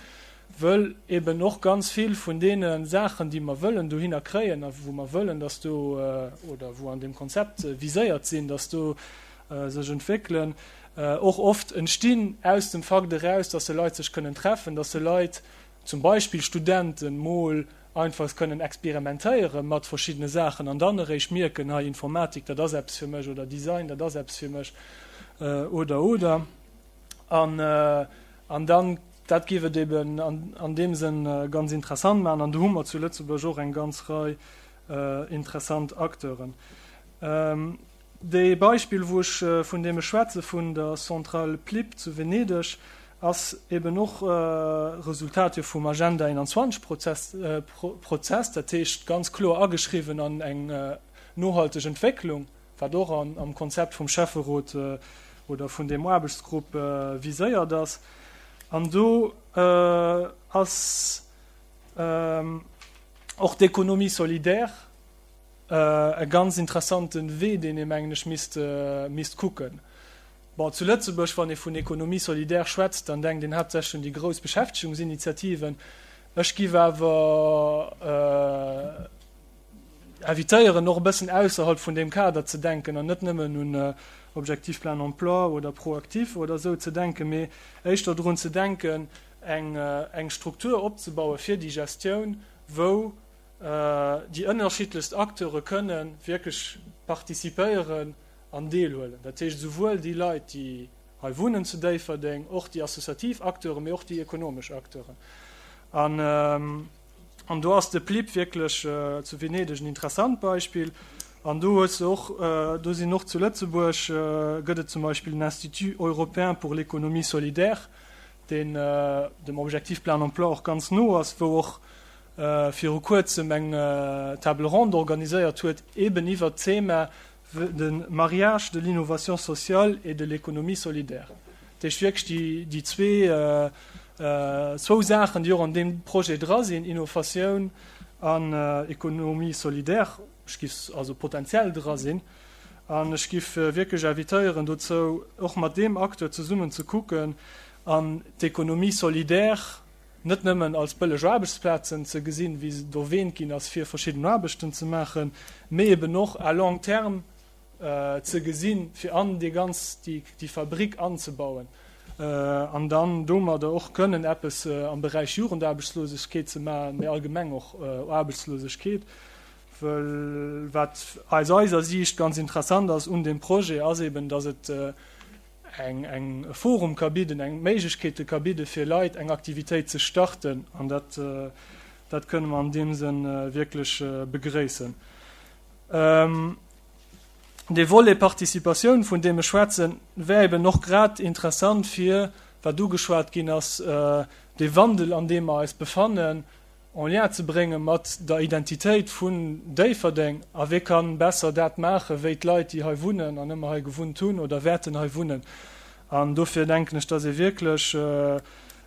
wëll eben och ganz vill vun deene Saachen, déi mer wëllen dohinner kréien a wou mer wëllen, dass do, oder wou an deem Konzept viséiert sinn, dass do sech entwéckelen, och oft entstinn aus dem Fakt eraus, dass se Leit sech kënnen treffen, dass se Leit, zum Beispill Studenten, mol einfach kënnen experimentéiere mat verschiddene Saachen an dann eréischt mierken, hei Informatik, dat ass eppes fir mech oder Design, dat ass eppes fir mech oder oder. An, an dann, dat géif et eben an, an deem Sënn ganz interessant maachen. An do hu mer zu Lëtzebuerg och eng ganz Rei interessant Acteuren. Dee Beispill, wou ech, vun deem ech schwätze vun der Centrale Plip zu Venedeg, ass eben och Resultat jo vum Agenda 21 Prozess, Prozess, dat heescht ganz kloer ageschriwwen an eng nohalteg Entwécklung, wat och an, am Konzept vum Schäfferot oder vun deem Aarbechtsgrupp viséiert ass. An do ass och d'Économie solidaire e ganz interessante Wee, deen ee, mengen ech, misst, misst kucken. Bon, zu Lëtzebuerg, wann ee vun Économie solidaire schwätzt, dann denkt een haaptsächlech un déi grouss Beschäftegungsinitiativen. Ech giff awer invitéieren, och e bëssen ausserhalb vun deem Kader ze denken an net nëmmen un Objectif plein emploi oder ProActif oder esou ze denken, mee éischter drun ze denken, eng, eng Struktur opzebaue fir déi Gestioun, wou déi ënnerschiddlechst Acteure kënne wierklech participéieren an deelhuelen. Dat heescht esouwuel déi Leit, déi hei wunnen zu Déifferdeng, och déi associativ Acteuren, mee och déi ekonomesch Acteuren. An. An do ass de PLIP wierklech zu Venedeg en interessant Beispill. An do hues de och, do sinn och zu Lëtzebuerg gëtt et zum Beispill den Institut européen pour l'économie solidaire, deen dem Objectif plein emploi och ganz no ass, wou och viru Kuerzem eng Table ronde organiséiert huet, eben iwwert d'Thema de mariage de l'innovation sociale et de l'économie solidaire. Dat heescht wierklech déi, déi zwee, zwou Saachen, déi och an deem Projet dra sinn, Innovatioun an Économie solidaire, ech giff also potenziell dra sinn. An ech giff wierklech invitéieren dozou, och mat deem Acteur zesummen ze kucken an d'Économie solidaire net nëmmen als bëlleg Aarbechtsplazen ze gesinn, wéi se erwähnt ginn ass, fir verschidden Aarbechten ze maachen, mee eben och à long terme ze gesinn, fir an déi ganz, déi Fabrik anzebauen an dann domadder och kënnen eppes am Beräich Jugendaarbechtslosegkeet ze maachen, mee allgemeng och Aarbechtslosegkeet. Well wat aus eiser Siicht ganz interessant ass un deem Projet, ass eben, dass et eng eng e Forum ka bidden, eng Méiglechkeete ka bidde fir Leit eng Aktivitéit ze starten an dat dat kënne mer an deem Sënn wierklech begréissen. Dee Volet Participatioun, vun deem ech schwätzen, wär eben och grad interessant fir, wat ugeschwat ginn ass, dee Wandel an deem mer eis befannen, en lien ze brénge mat der Identitéit vun Déifferdeng. A wie kann besser dat maache wéi d'Leit, déi hei wunnen an ëmmer hei gewunnt hunn oder wäerten hei wunnen. An dofir denken ech, dass ee wierklech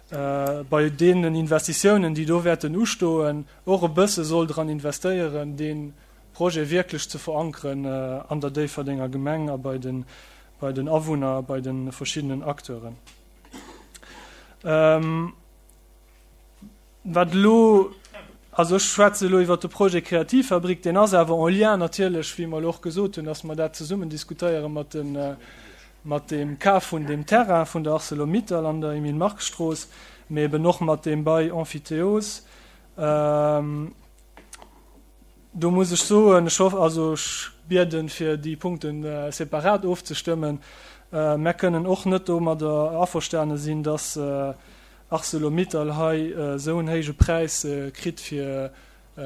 bei deenen Investitiounen, déi do wäerten ustoen, och e bësse soll dran investéieren, dee Projet wierklech ze verankeren an der Déifferdenger Gemeng a bei den, bei den Awunner a bei de verschiddenen Acteuren. Wat elo, also ech schwätze elo iwwert de Projet Kreativfabrik, deen ass awer en lien natierlech, wéi mer elo och gesot hunn, dass mer dat zesummen diskutéiere mat de, mat deem Kaf vun deem Terrain vun der Arcelor-Mittal an der Emile-Mark-Strooss, mee eben och mat deem Bail emphytéose. Do muss ech soen, ech hoff, also ech bieden, fir déi Punkte separat ofzestëmmen. Mär kënnen och net domadder averstane sinn, dass Arcelor-Mittal hei esou en héije Präis kritt, fir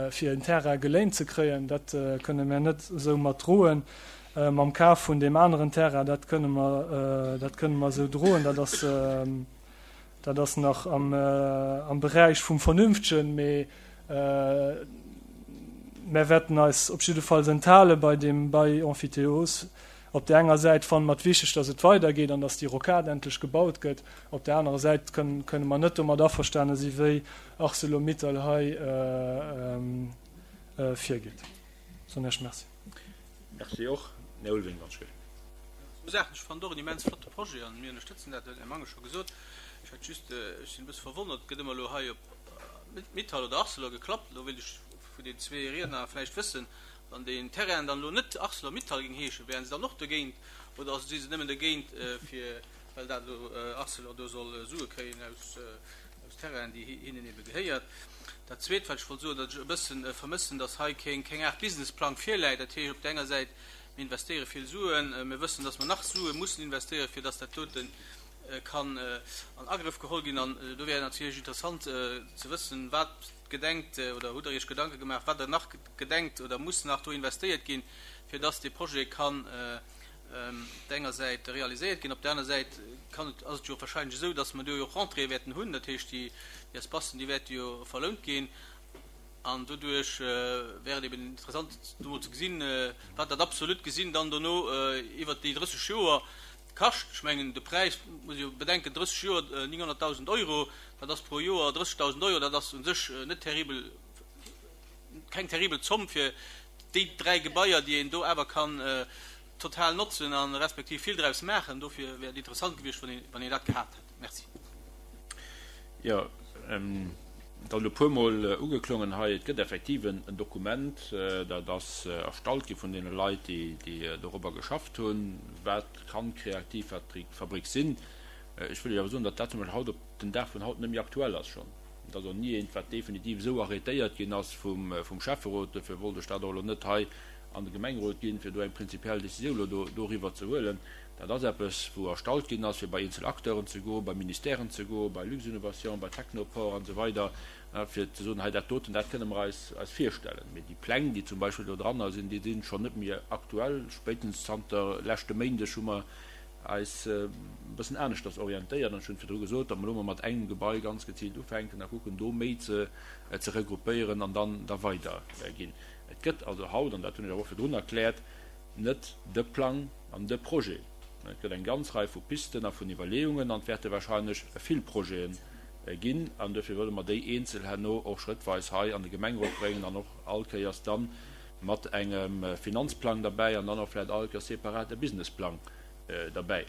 fir en Terrain geléint ze kréien. Dat kënne mär net esou mat droen. Mam Kaf vun deem aneren Terrain, dat kënne mer, dat kënne mer esou droen. Dat ass, dat ass nach am am Beräich vum Vernünftegen, mee mär wäerten eis op jiddefalls enthale bei deem Bail emphytéose. Op där enger Säit fanne mer et wichteg, datt et weidergeet an datt déi Rocade endlech gebaut gëtt. Op där anerer Säit kënne mer net domat averstane si wéi Arcelor-Mittal hei virgeet. Soen Iech Merci. Merci och. Här Ulveling, wann ech gëtt. Zwou Saachen. Ech fannen et och en immens flotte Projet an mir ënnerstëtzen dat, huet den Här Mangen scho gesot. Ech hätt just, ech sinn e bësse verwonnert, et gëtt ëmmer elo hei op Mittal oder Arcelor geklappt. Elo wéilt ech vun den zwee Riedner vläicht wëssen, Wann deen Terrain dann elo net Arcelor-Mittal géing heeschen, wären se dann och dogéint oder si se nëmmen dogéint, fir well dat elo Arcelor do soll Sue kréien aus Terrainen, déi hinnen ebe gehéiert? Dat Zweet, wat ech wollt soen, datt ech e bësse vermëssen, datt hei keng keng Aart Businessplang virläit. Dat heescht op där enger Säit, mir investéiere vill Suen, mir wëssen, datt mer nach Sue mussen investéieren, fir datt dat dote kann an Agrëff geholl ginn. An do wär natierlech interessant ze wëssen, wat gedenkt oder hutt Der Iech Gedanke gemaach, wat Der nach gedenkt oder muss nach do investéiert ginn, fir dass dee Projet kann op der enger Säit realiséiert ginn. Op der aner Säit kann et, ass et jo wahrscheinlech esou, dass mer do jo och Rentréeë wäerten hunn, dat heescht déi Espacen, déi wäerte jo verlount ginn an doduerch wär et eben interessant do mol ze gesinn, wat dat absolut gesinn dann dono iwwert déi 30 Joer kascht. Ech mengen de Präis, muss ee jo bedenken, 30 Joer 900.000 Euro, dat ass pro Joer 30.000 Euro, dat ass u sech net terribel keng terribel Zomm fir déi 3 Gebaier, déi een do awer kann total notzen a respektiv vill draus maachen. Dofir wär et interessant gewiescht, wann een dat gehat hätt. Merci. Jo, et ass elo e puermol ugeklongen hei, et gëtt effektiv en Dokument, dat ass erstallt gi vun deene Leit, déi dorobber geschafft hunn, wat kann d'Kreativfabrik sinn. Ech wëll Iech awer soen, datt dat zum Beispill haut op den Dag vun haut net méi aktuell ass schonn. Et ass och ni eent, wat definitiv esou arrêtéiert ginn ass vum Schäfferot. Dofir wollt ech dat och elo net hei. an de Gemengerot ginn, fir do eng prinzipiell Décisioun elo doriwwer ze huelen. Dat ass eppes, wou erstallt ginn ass, fir bei eenzel Acteuren ze goen, bei Ministèren ze goen, bei Luxinnovation, bei Technoport an esou weider, fir ze soen, hei dat doten, dat kënne mer eis virstellen. Mee déi Pläng, déi zum Beispill do dranner sinn, déi si schonn net méi aktuell. Spéitstens zanter leschte Méindeg hu mer eis e bëssen aneschters orientéiert an ech hunn virdru gesot, datt mer elo mol mat engem Gebai ganz geziilt ufänken a kucken, do méi ze regroupéieren an dann da weiderginn. Et gëtt also haut, an dat hunn ech awer och virdrun erkläert, net de Plang an de Projet. Et gëtt eng ganz Rei vu Pisten a vun Iwwerleeungen an et wäerte wahrscheinlech vill Projete ginn. An duerfir wëlle mer déi eenzel herno och schrëttweis hei an de Gemengerot bréngen an och all Kéiers da mat engem Finanzplang derbäi an dann och vläicht all Kéiers separat e Businessplang derbäi.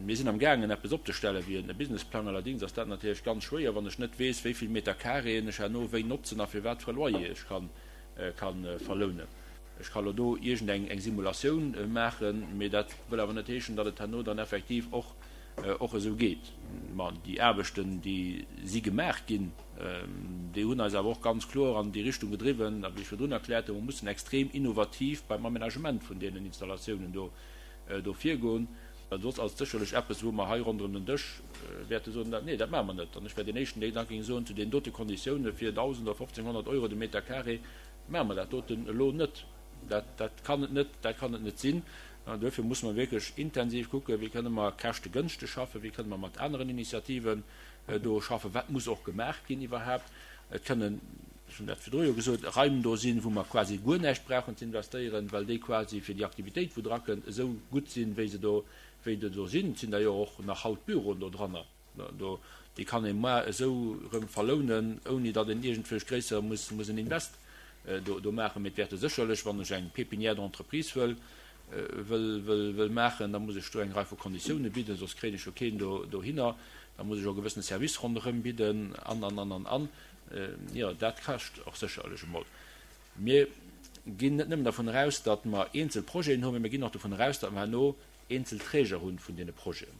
Mir sinn am gaangen eppes opzestellen wéi e Businessplang. Allerdings ass dat natierlech ganz schwéier, wann ech net weess, wéi vill Meter Carréen ech herno wéi notzen a fir wat fir e Loyer ech ka verlounen. Ech ka lo do iergend eng Simulatioun maachen, mee dat wëll awer net heeschen, datt et herno dann effektiv och och esou geet. Ma déi Aarbechten, déi si gemaach ginn, déi hunn eis awer och ganz kloer an déi Richtung gedriwwen, a wéi ech virdrun erkläert hunn, mer mussen extrem innovativ beim Amenagement vun deenen Installatiounen do do virgoen. Well soss ass et sécherlech eppes, wou mer hei ronderëm den Dësch wäerte soen, Nee, dat maache mer net. An ech wär deen Éischten, deen da géing soen, zu deenen dote Konditioune fir 1.000 oder 1.500 Euro de Meter carré maache mer dat doten elo net. Dat, dat kann et net, dat kann et net sinn. An duerfir musse mer wierklech intensiv kucken, wéi kënne mer käschtegënschteg schaffen, wéi kënne mer mat aneren Initiativen do schaffen, wat muss och gemaach ginn iwwerhaapt. Et kënnen, ech hunn dat virdru jo gesot, Raim do sinn, wou mer quasi guer näischt brauchen ze investéieren, well déi quasi fir déi Aktivitéit, wou drakënnt, esou gutt sinn, wéi se do, wéi se do sinn. Et sinn der jo och nach haut Büroen do dranner. Do, déi kann ee moar esou erëm verlounen, ouni datt een iergendwelch gréisser muss, muss en Invest do, do maachen. Mee et wäerte sécherlech, wann ech eng Pépinière d'entreprise wëll, wëll, wëll, wëll maachen, da muss ech do eng Rei vu Konditiounen bidden, soss kréien ech jo keen do, dohinner. Da muss ech och e gewëssene Service ronderëm bidden an, an, an, an, an. Jo, dat kascht och sécherlech emol. Mir ginn net nëmmen dervun eraus, datt mer eenzel Projeten hunn, mee mir ginn och dovun eraus, datt mer herno eenzel Träger hunn vun deene Projeten.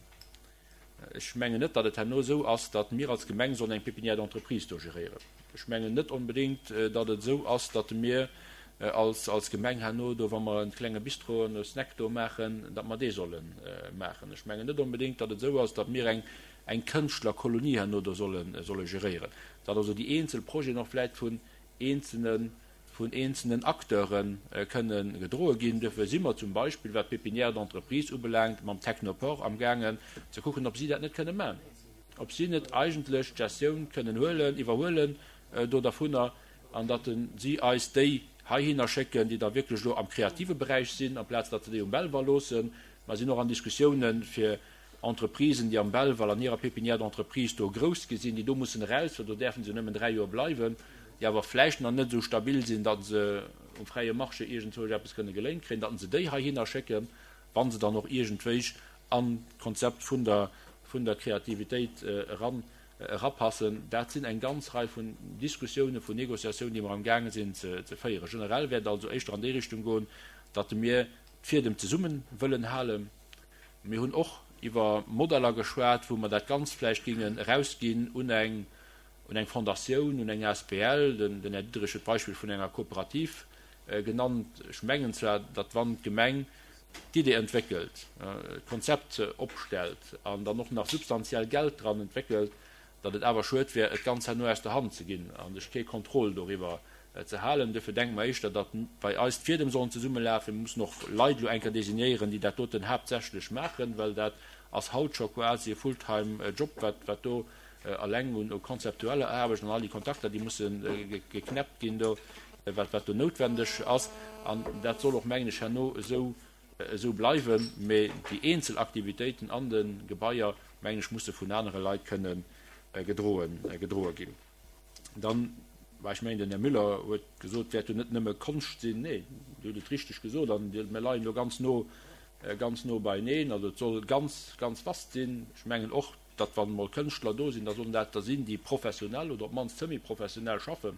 Ech mengen net, datt et herno esou ass, datt mir als Gemeng sollen eng Pépinière d'entreprise do geréieren. Ech mengen net onbedéngt, datt et esou ass, datt mir als Gemeng herno do, wa mer e klenge Bistro an e Snack do maachen, datt mer dee solle maachen. Ech mengen net onbedéngt, datt et esou ass, datt mir eng Kënschtlerkolonie herno do solle geréieren. Datt also déi eenzel Projeten och vläicht vun eenzelne vun eenzelnen Acteure kënne gedroe ginn. Duerfir si mer zum Beispill, wat d'Pépinière d'entreprise ubelaangt, mam Technoport amgaangen ze kucken, ob si dat net kënne maachen, ob si net eigentlech d'Gestioun kënnen huelen, iwwerhuelen do dervunner, an datt si eis déi heihinner schécken, déi da wierklech elo am kreative Beräich sinn, amplaz datt se déi um Belval loossen. Mer sinn och an Diskussiounen, fir Entreprisen, déi am Belval an hirer Pépinière d'entreprise do grouss gi sinn, déi do mussen eraus, well do däerfe se nëmmen 3 Joer bleiwen, déi awer vläicht nach net esou stabil sinn, datt se um fräie Marché iergendzwousch eppes kënne geléint kréien, datt se déi heihinner schécken, wa se dann och iergendwéich an d'Konzept vun der, vun der Kreativitéit eran, erapassen. Dat sinn eng ganz Rei vun Diskussiounen, vun Négociatiounen, déi mer amgaange sinn ze féieren. Generell wäert et also éischter an déi Richtung goen, datt mir d'Fiedem zesumme wëllen halen. Mir hunn och iwwer Modeller geschwat, wou mer dat Ganzt vläicht géingen erausginn un eng, un eng Fondatioun, un eng asbl. Den Här Diderich huet d'Beispill vun enger Kooperativ genannt. Ech mengen zwar, datt wann d'Gemeng d'Idee entwéckelt, d'Konzept opstellt an dann och nach substantiell Geld dran entwéckelt, datt et awer schued wär, et ganz herno aus der Hand ze ginn a sech kee Contrôle doriwwer ze halen. Duerfir denke mer éischter, datt bei eis d'Fiedem sollen zesummelafen. Mir mussen och Leit elo eng Kéier designéieren, déi dat doten haaptsächlech maachen, well dat ass haut scho quasi e full-time Job, wat wat do eleng un konzeptueller Aarbecht an all déi Kontakter, déi musse geknäppt ginn do, wat wat do noutwendeg ass. An dat soll och, mengen ech, herno esou esou bleiwen. Mee déi eenzel Aktivitéiten an de Gebaier, mengen ech, musse vun anere Leit kënne gedroen gedroe ginn. Dann, bah, ech mengen, den Här Müller huet gesot, et wäert jo net nëmme Konscht sinn. Nee, Dir hutt et richteg gesot an mir leien do ganz no, ganz no beieneen. Also et soll ganz, ganz vast sinn. Ech mengen och, datt wann emol Kënschtler do sinn, da sollen dat der sinn, déi professionell oder op d'mannst semi-professionell schaffen.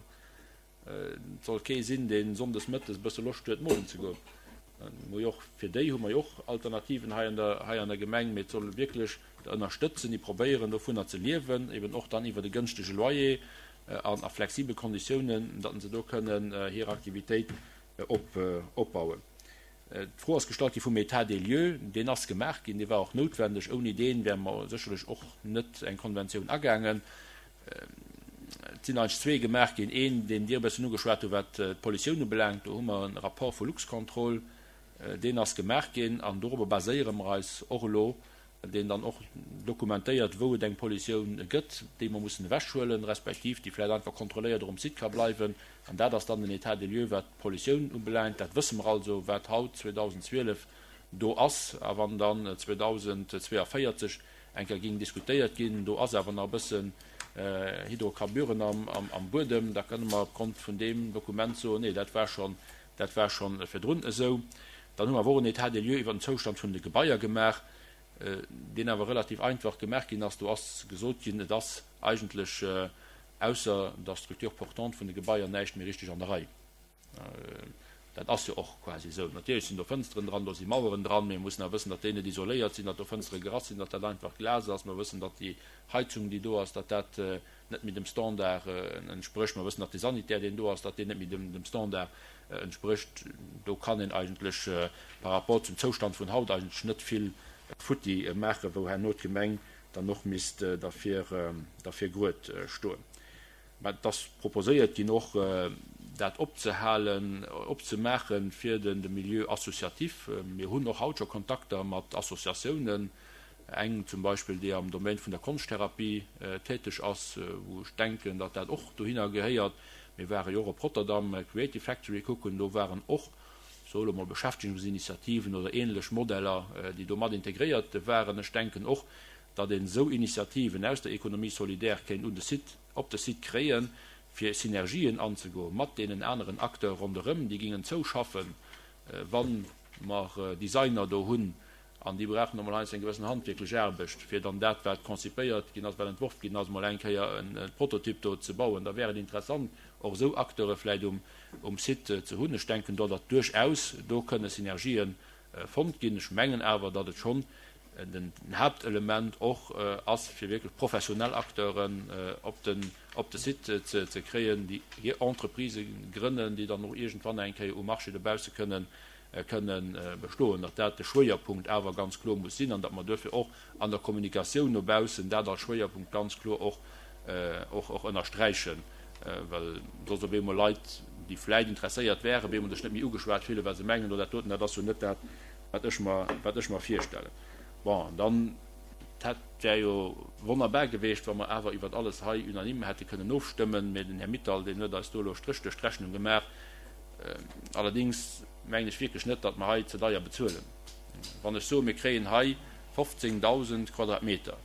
Et soll kee sinn, dee sonndes mëttes e bësse Loscht huet, molen ze goen. Mir hu jo och, fir déi hu mer jo och Alternativen hei an der, hei an der Gemeng, mee et soll wierklech der ënnerstëtzen, déi probéieren, dovunner ze liewen, eben och dann iwwert e gënschtege Loyer an a flexibel Konditiounen, datt se do kënnen hir Aktivitéit. opbauen. D'Fro ass gestallt gi vum État des lieux. Deen ass gemaach ginn, dee war och noutwendeg. Ouni dee wäre mer sécherlech och net eng Konventioun agaangen. Et sinn eigentlech zwee gemaach ginn. Een, deen Dir e bëssen ugeschwat hutt, wat d'Pollutioun ubelaangt. Do hu mer e Rapport vu Luxcontrol, deen ass gemaach ginn an dorobber baséiere mer eis och elo, deen dann och dokumentéiert, wou et eng Pollutioun gëtt, déi mer mussen ewechhuelen, respektiv déi vläicht einfach kontrolléiert och um Site ka bleiwen. An dat ass dann den État des lieux, wat d'Pollutioun ubelaangt. Dat wësse mer also, wat haut, 2012, do ass. A wann dann 2042 eng Kéier géing diskutéiert ginn, do ass awer nach e bëssen Hydrocarburen am Buedem, da kënne mer opgrond vun deem Dokument soen, nee, dat war schonn, dat war schonn virdrun esou. Dann hu mer awer och en État des lieux iwwer den Zoustand vun de Gebaier gemaach, deen awer relativ einfach gemaach ginn ass. Do ass gesot ginn, et ass eigentlech ausser der Structure portante vun de Gebaier näischt méi richteg an der Rei. Dat ass jo och quasi esou. Natierlech sinn do Fënsteren dran, do si Maueren dran, mee mir mussen awer wëssen, datt déi net isoléiert sinn, datt do Fënstere gerass sinn, datt dat einfach Glas ass. Mer wëssen, datt déi Heizung, déi do ass, datt dat net méi dem Standard entsprécht. Mer wëssen, datt de Sanitär, deen do ass, datt deen net méi dem Standard entsprécht. Do kann een eigentlech par rapport zum Zoustand vun haut eigentlech net vill futti maachen, wou herno d'Gemeng dann och misst derfir grued stoen. Mä et ass proposéiert ginn, och dat opzehalen, opzemaache fir de Milieu associatif. Mir hunn och haut scho Kontakter mat Associatiounen, eng zum Beispill, déi am Domaine vun der Konschttherapie täteg ass, wou ech denken, datt dat och dohinner gehéiert. Mir ware jo och op Rotterdam Creative Factory kucken, do waren och, soe lo mol, Beschäftigungsinitiativen oder ähnlech Modeller, déi do mat integréiert waren. Ech denken och, datt een esou Initiativen aus der Économie solidaire kéint un de Site, op de Site kréien, fir Synergien anzegoen mat deenen aneren Acteure ronderëm, déi gingen zouschaffen, wa mer Designer do hunn, an déi brauchen emol heiansdo eng gewëssen handwierklech Aarbecht, fir dann dat, wat konzipéiert ginn ass, wat entworf ginn ass, emol eng Kéier e Prototyp do ze bauen. Da wär et interessant, och esou Acteure vläicht um Site ze hunn. Ech denken do, datt duerchaus do kënne Synergië fonnt ginn. Ech mengen awer, datt et schonn den Haaptelement och ass, fir wierklech professionell Acteuren op den op de Site ze kréien, déi hir Entreprisë grënnen, déi dann och iergendwann eng Kéier um Marché dobausse kënnen kënnen bestoen, datt dat de Schwéierpunkt awer ganz kloer muss sinn an datt mer duerfir och an der Kommunikatioun no baussen dat als Schwéierpunkt ganz kloer och och ënnersträichen, well soss op eemol Leit, déi vläit interesséiert wären, op eemol sech net méi ugeschwat fillen, well se mengen, oh dat doten, dat ass jo net dat, wat ech mer, wat ech mer virstellen. Bon, an dann, dat wär jo wonnerbar geweecht, wa mer awer iwwert alles hei unanime hätte kënnen ofstëmmen, mä den Här Mittal, deen huet eis do elo e Stréch duerch d'Rechnung gemaach. Allerdings mengen ech wierklech net, datt mer hei ze deier bezuelen. Wann ech soen, mir kréien hei 15.000 Quadratmeter,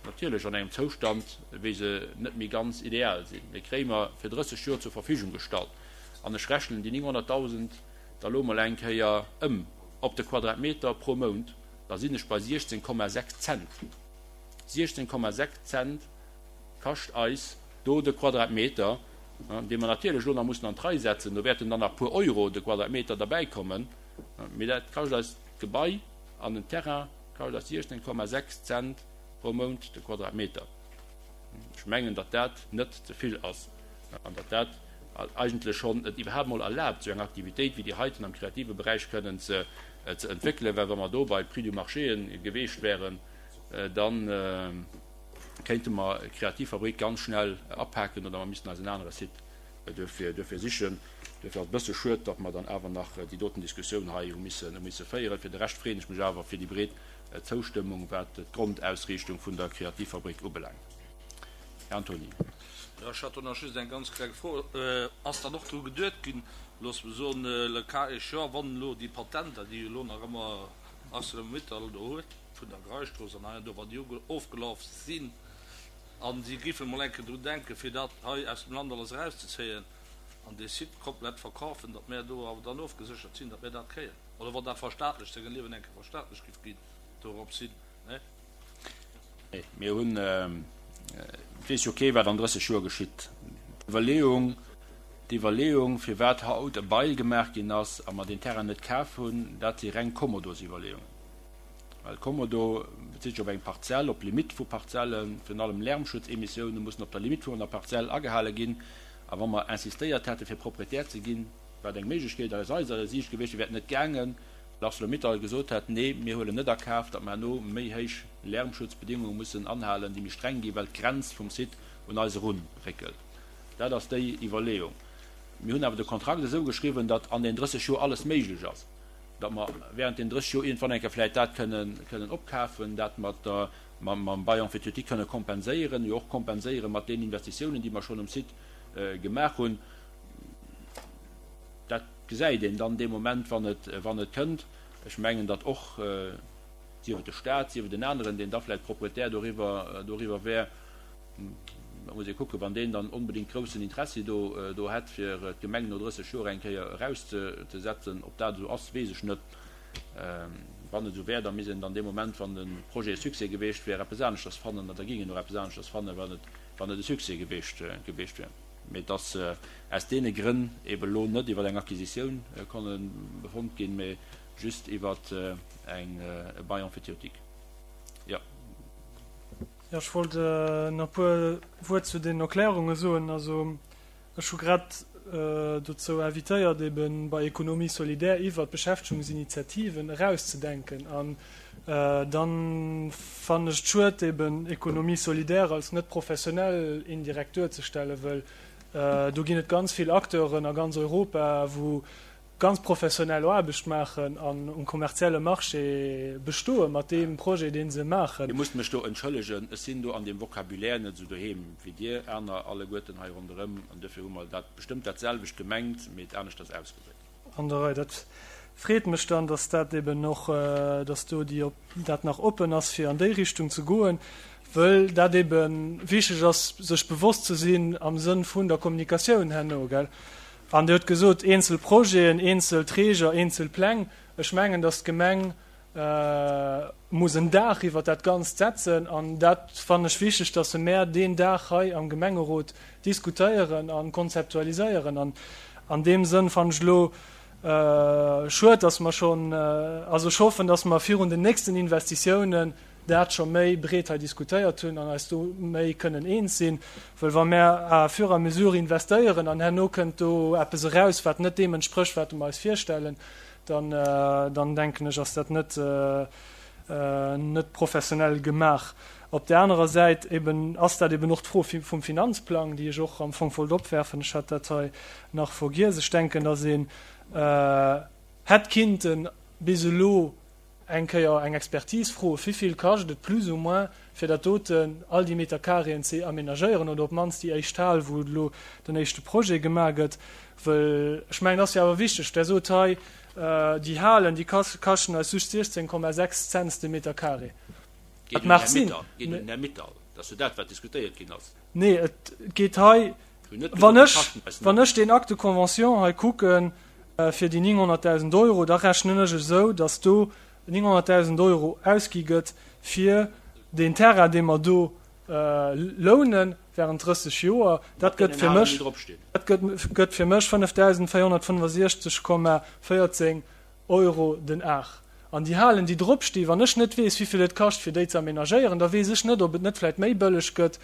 natierlech an engem Zoustand, wéi se net méi ganz ideal sinn, mee kréie mer fir 30 Joer zur Verfügung gestallt, an ech rechnen déi 900.000 da lo mol eng Kéier ëm op de Quadratmeter pro Mount, da sinn ech bei 16,6 Cent. 16,6 Cent kascht eis do de Quadratmeter, dee mer natierlech elo nach mussen an d'Rei setzen, do wäerten dann nach puer Euro de Quadratmeter derbäikommen, mee dat kascht eis d'Gebai an den Terrain kascht eis 16,6 Cent pro Mount de Quadratmeter. Ech mengen, datt dat net ze vill ass an datt dat eigentlech schonn et iwwerhaapt mol erlaabt, esou eng Aktivitéit wéi déi heiten am kreative Beräich kënnen ze entwéckelen, well wa mer do bei Prix du marché geweecht wäeren, dann, kéinte mer d'Kreativfabrik ganz schnell apaken oder mer missten eis en anere Site duerfir sichen. Duerfir ass et e bësse schued, datt mer dann awer nach déi doten Diskussioun hei hu misse féieren. Fir de Rescht freeën ech mech awer fir déi breet Zoustëmmung, wat d'Grondausriichtung vun der Kreativfabrik ubelaangt. Här Antony. Jo, ech hat do nach just eng ganz kleng Fro. Ass dann och dru geduet ginn, loosse mer soen, le cas échéant, wann elo déi Patenter, déi elo nach ëmmer Arcelor-Mittal do huet, vun der Greisstrooss an hei an do, wann déi ofgelaf sinn a si géifen emol eng Kéier drun denken, fir dat hei aus dem Land alles erauszezéien an dee Site komplett verkafen, datt mär do awer dann ofgeséchert sinn, datt mär dat kréien. Oder wann dat verstaatlecht, sengem Liewen eng Kéier verstaatlecht géif ginn, dorops hin, ne? Nee, mir hunn, et weess jo kee wat an 30 Joer geschitt. D'Iwwerleeung, d'Iwwerleeung, firwat haut e Bail gemaach ginn ass a mer deen Terrain net kaf hunn, dat si reng Kommodosiwwerleeungen. Well Kommodo bezitt sech op eng Parzell, op Limitt vu Parzellen. Virun allem Lärmschutzemissioune mussen op der Limitt vun der Parzell agehale ginn. A wa mer insistéiert hätte fir Proprietär ze ginn. Wat eng Méiglechkeet aus eiser Siicht gewiescht wier, wär et net gaangen, well Arcelor-Mittal gesot hätt, Nee, mir huelen net a Kaf, datt mer herno méi héich Lärmschutzbedingunge mussen anhalen, déi méi streng ginn, well d'Grenz vum Site un eis erunréckelt. Dat ass déi Iwwerleeung. Mir hunn awer de Kontrakt esou geschriwwen, datt an den 30 Joer alles méiglech ass, datt mer während den 30 Joer iergendwann eng Kéier vläicht dat kënnen opkafen, dat mat der, mam Bail emphytéotique kënne kompenséieren, jo och kompenséiere mat deenen Investitiounen, déi mer schonn um Site gemaach hunn. Dat gesäit een dann dee Moment, wann et, wann et kënnt. Ech mengen, datt och, sief et de Stat, sief et en aneren, deen da vläicht Proprietär doriwwer, doriwwer wär, da muss ee kucken, wann deen dann onbedéngt groussen Interessi do, do hätt, fir d'Gemeng no 30 Joer eng Kéier erauszesetzen. Ob dat esou ass, weess ech net. Wann et esou wär, da misst een dann dee Moment, wann de Projet e Succès geweecht wär, eppes aneschters fannen, oder da géing een och eppes aneschters fannen, wann et, wann et e Succès geweecht, geweecht wär. Mee et ass aus deene Grënn eeben elo net iwwer eng Acquisitioun konne befonnt ginn, mee just iwwer eng, e Bail emphytéotique. Jo. Jo, ech wollt nach e puer Wuert zu den Erklärunge soen. Also ech hu grad dozou invitéiert, ebe bei Économie solidaire iwwert Beschäftegungsinitiativen erauszedenken. An dann fannen ech et schued, eben Économie solidaire als net professionell indirekt duerzestellen, wëll do ginn et ganz vill Acteuren a ganz Europa, wou ganz professionell Aarbecht maachen an um kommerzielle Marché bestoe mat deem Projet, dee se maachen. Dir musst mech do entschëllegen, ech sinn do an deem Vocabulaire net esou doheem wéi Dir aner alleguerten hei ronderëm, an duerfir hu mer dat bestëmmt dat selwecht gemengt, mee et aneschters ausgedréckt. An der Rei. Dat freet mech dann, dass dat eben och, dass do déi, dat nach oppen ass, fir an déi Richtung ze goen, wëll dat ebe wichteg ass, sech bewosst ze sinn am Sënn vun der Kommunikatioun herno, gell. An Dir hutt gesot, eenzel Projeten, eenzel Träger, eenzel Pläng. Ech mengen, dass d'Gemeng muss en Daach iwwert dat Ganzt setzen. An dat fannen ech wichteg, dass mär deen Daach hei am Gemengerot diskutéieren a konzeptualiséieren. An an deem Sënn fannen ech elo schued, dass mer schonn, also ech hoffen, dass mer virun den nächsten Investitiounen dat scho méi breet hei diskutéiert hunn an eis do méi kënnen eens sinn, wëll wa mär à fur et à mesure investéieren an herno kënnt do eppes eraus, wat net deem entsprécht, wat mer eis virstellen, dann, dann denken ech, ass dat net, net professionell gemaach. Op där anerer Säit eben ass dat eben och d'Fro vum Finanzplang, déi ech och am Fong wollt opwerfen. Ech hat dat hei nach vergiess. Ech denken, dass een hätt kinnten bis elo eng Kéier eng Expertise froen, wivill kascht et plus ou moins, fir dat doten, all déi Meter Carréen ze aménagéieren oder op d'mannst déi éischt Hal, wou elo den éischte Projet gemaach gëtt. Wëll ech mengen, et ass jo awer wichteg, Der sot hei, déi Halen, déi kaschten eis just 16,6 Cents de Meter carré. Dat mag sinn. Geet un den Här Mittal. Dat ass jo dat, wat diskutéiert ginn ass. Nee, et geet hei, wann ech, wann ech deen Acte de convention hei kucken, fir déi 900.000 Euro, da rechnen ech esou, datt do 900.000 Euro ausgi gëtt fir deen Terrain, dee mer do lounen während 30 Joer. Dat gëtt fir mech, dat gëtt fir mech 5.465,14 Euro den Ar. An déi Halen, déi drop sti, wann ech net weess, wéivill et kascht, fir déi ze aménagéieren, da weess ech net, ob et net vläicht méi bëlleg gëtt,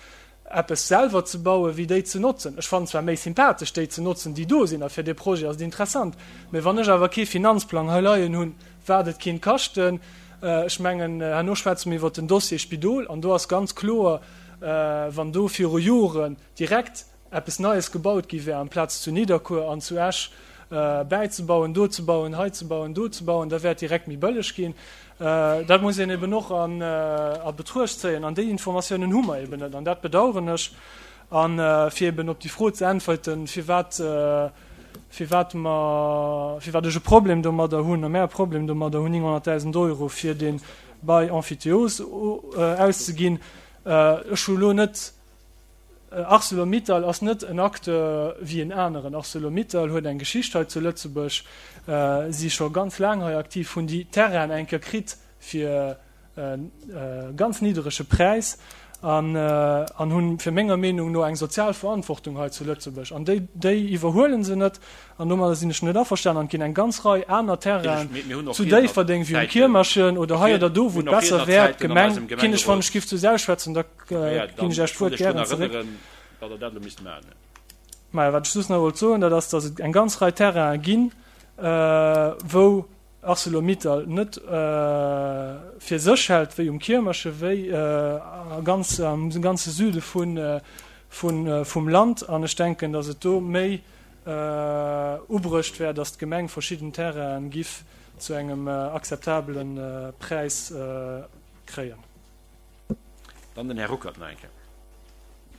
eppes selwer ze bauen, wéi déi ze notzen. Ech fannen zwar méi sympathesch, déi ze notzen, déi do sinn, a fir dee Projet ass et interessant, mä wann ech awer kee Finanzplang hei leien hunn, wat et kinnt kaschten, ech mengen, herno schwätze mir iwwert den Dossier Spidol, an do ass ganz kloer, wann do viru Joren direkt eppes Neies gebaut gi wär, amplaz zu Nidderkuer an zu Esch bäizebauen, do ze bauen, hei ze bauen, do ze bauen, da wär et direkt méi bëlleg ginn. Dat muss een eben och a Betruecht zéien. An déi Informatiounen hu mer eben net. An dat bedauern ech. A fir eben op déi Fro ze äntwerten, firwat, firwat mer, firwat ech e Problem domadder hunn, a mär e Problem domadder hunn, 900.000 Euro fir dee Bail emphytéose auszeginn, ech hu elo net, Arcelor-Mittal ass net en Acteur wéi en aneren. Arcelor-Mittal huet eng Geschicht hei zu Lëtzebuerg, si scho ganz laang hei aktiv, hunn déi Terrainen eng Kéier kritt fir e ganz nidderege Präis an hunn fir menger Meenung no eng sozial Verantwortung hei zu Lëtzebuerg. An déi, déi iwwerhuele se net an domadder sinn ech net averstanen. An et ginn eng ganz Rei aner Terrainen zu Déifferdeng wéi um Kiermerchen oder hei oder do, wou et besser wär, d'Gemeng, kinn ech, wann ech giff zu Saul schwätzen, da Ginn ech Iech d'Wuert gären zeréck. Maja, wat ech soss nach wollt soen, dat ass, datt et eng ganz Rei Terrainen ginn, wou Arcelor-Mittal net fir sech hält, wéi um Kiermerche, wéi a ganz, am ganze Süde vum Land. An ech denken, datt et do méi ubruecht wär, datt d'Gemeng verschidden Terrainen giff zu engem akzeptabele Präis kréien. Dann den Här Ruckert nach eng Kéier.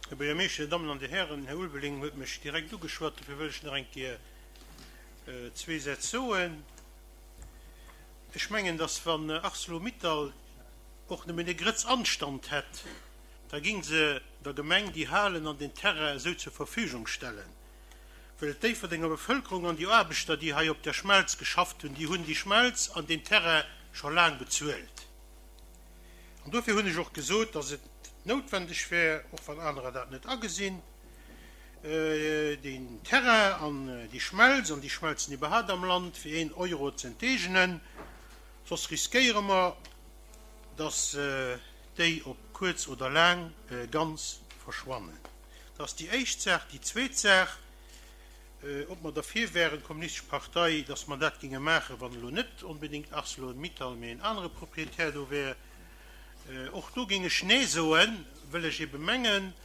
Här Buergermeeschter, Dir Dammen an Dir Hären, den Här Ulveling huet mech direkt ugeschwat, dofir wëll ech nach eng Kéier zwee Sätz soen. Ech mengen, dass wann Arcelor-Mittal och nëmmen e Grëtz Anstand hätt, da géing se der Gemeng déi Halen an den Terrain esou zur Verfügung stellen, well d'Déifferdenger Bevëlkerung an déi Aarbechter, déi hei op der Schmelz geschafft hunn, déi hunn déi Schmelz an deen Terrain scho laang bezuelt. An dofir hunn ech och gesot, dass et noutwendeg wär, och wann anerer dat net agesinn, deen Terrain an déi Schmelz an déi Schmelzen iwwerhaapt am Land fir een Euro ze enteegenen, soss riskéiere mer, dass déi op kuerz oder laang ganz verschwannen. Dat ass déi éischt Saach. Déi zweet Saach, Ob mer derfir wären, d'Kommunistesch Partei, dass mer dat géinge maachen, wann elo net onbedéngt Arcelor-Mittal, mee en anere Proprietär do wär, och do géing ech Nee soen, wëll ech ebe mengen,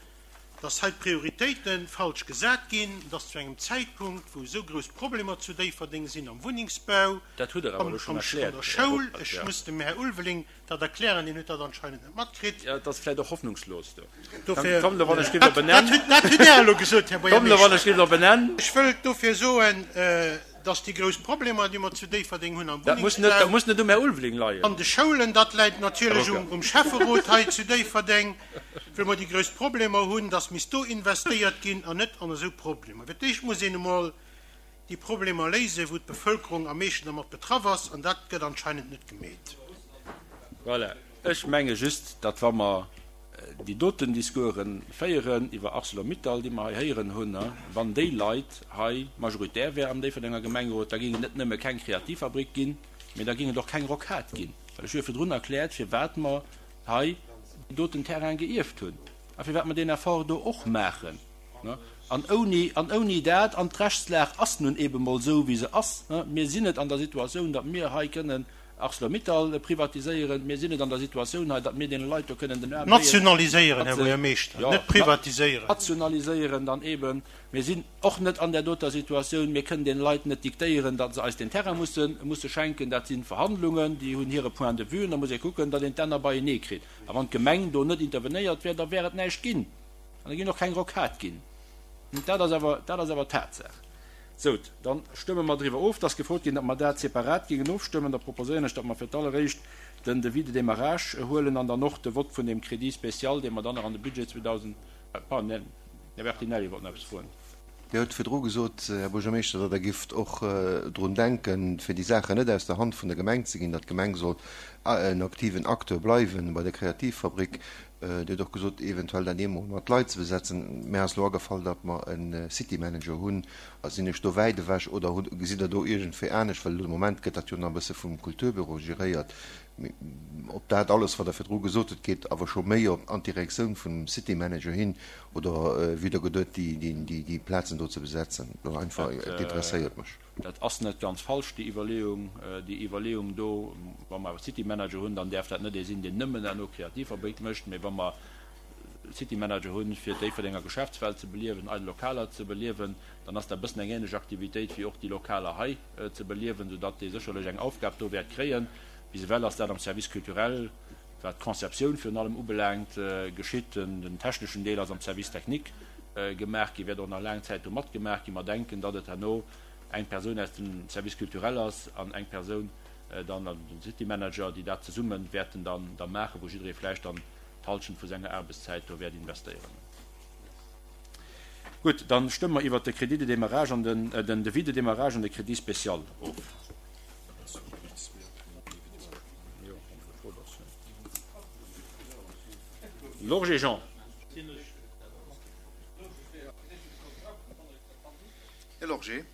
dass hei d'Prioritéite falsch gesat ginn, dass zu engem Zäitpunkt, wou esou grouss Problemer zu Déifferdeng sinn am Wunnengsbau, Dat hutt Der awer elo schonn an erkläert, der Här Schoul, Ruppert, ech jo. muss dem Här Ulveling dat erklären, deen huet dat anscheinend net matkritt. Jo, et ass vläicht och hoffnungslos do. Dofir, Kommt elo, wann ech géif op en Enn. Dat hutt Der elo gesot, Här Kommt elo, wann ech Buergermeeschter. géif op en Enn. Ech wëllt dofir soen, dass déi grouss Problemer, déi mer zu Déifferdeng hunn am Dat muss net, Wunnengsbau, dat muss net um Här Ulveling leien. an de Schoulen, dat läit Här natierlech Ruckert. um Schäfferot hei zu Déifferdeng, wëll mer déi grouss Problemer hunn, dass misst do investéiert ginn an net an esou Problemer. Fir d'éischt muss een emol déi Problemer léisen, wou d'Bevëlkerung am meeschten dermat betraff ass, an dat gëtt anscheinend net gemeet. Voilà. Ech menge just, datt wa mer déi doten Discourse féieren iwwer Arcelor-Mittal, déi mer hei héieren hunn, wann déi Leit hei majoritär wären am Déifferdenger Gemengerot, da géing et net nëmme keng Kreativfabrik ginn, mee da géing et och keng Rocade ginn. Well ech hu jo virdrun erkläert, firwat mer hei déi doten Terraine geierft hunn a firwat mer deen Effort do och maachen. An ouni, an ouni dat, an d'Rechtslag ass nun eebe mol esou, wéi se ass, mir sinn net an der Situatioun, datt mir hei kënnen Arcelor-Mittal privatiséieren, mir sinn net an der Situatioun hei, datt mir deene Leit do kënnen den Aarm bréien, Nationaliséieren, Här datt se, Buergermeeschter, jo, net privatiséieren. nationaliséieren dann eeben. Mir sinn och net an där doter Situatioun, mir kënnen deene Leit net diktéieren, datt se eis deen Terrain musse, musse schenken. Dat si Verhandlungen, déi hunn hire Point de vue, an da muss ee kucken, datt een d'Enner beienee kritt. A wann d'Gemeng do net intervenéiert wär, da wär et näischt ginn. An et ginn och keng Rocade ginn. Dat ass awer, dat ass awer Tatsaach. Sou, da stëmme mer driwwer of. Et ass gefrot ginn, datt mer dat separat géingen ofstëmmen. Da proposéieren ech, datt mer fir d'alleréischt den Devis de démarrage huelen an dann och de Vott vun deem Crédit spécial, dee mer dann nach an de Budget 2000, pardon, Här Bertinelli wollt nach eppes froen. Dir hutt virdru gesot, Här Buergermeeschter, datt Der gifft och drun denken, fir déi Saachen net aus der Hand vun der Gemeng ze ginn, datt d'Gemeng soll en aktiven Acteur bleiwen bei der Kreativfabrik. Dir hutt och gesot, eventuell dat eemol mat Leit ze besetzen. Mär ass elo agefall, datt mer e City Manager hunn. Sinn ech do wäit ewech oder gesitt Der do iergendwéi anescht, well elo de Moment gëtt dat jo nach e bësse vum Kulturbüro geréiert. Mee ob dat alles, wat Der virdru gesot hutt, geet awer scho méi op an d'Direktioun vum City Manager hin oder wéi Der geduet, déi Plazen do ze besetzen? Dat einfach, et interesséiert mech. Dat ass net ganz falsch, déi Iwwerleeung. Déi Iwwerleeung do, wa mer awer City Manager hunn, dann däerf dat net ee sinn, deen nëmmen herno Kreativfabrik mécht, mee wa mer City Manager hunn, fir d'Déifferdenger Geschäftswelt ze beliewen, eidel Lokaler ze beliewen, dann ass dat e bëssen eng ähnlech Aktivitéit wéi och déi Lokaler hei ze beliewen, soudatt dee sécherlech eng Aufgab do wäert kréien. Bis ewell ass dat am Service culturel, wat d'Conceptioun virun allem ubelaangt, geschitt. Den techneschen Deel ass am Service technique gemaach ginn, wäert och nach laang Zäit do matgemaach ginn. Mer denken, datt et herno eng Persoun aus dem Service culturel ass an eng Persoun dann, also den City Manager, déi dat zesumme wäerten dann da maachen, wou jidderee vläicht dann d'Halschent vu senger Aarbechtszäit do wäert investéieren. Gutt, da stëmme mer iwwert de Crédit de démarrage an den, den Devis de démarrage an de Crédit spécial of. Lorgé Jean. Här Lorgé.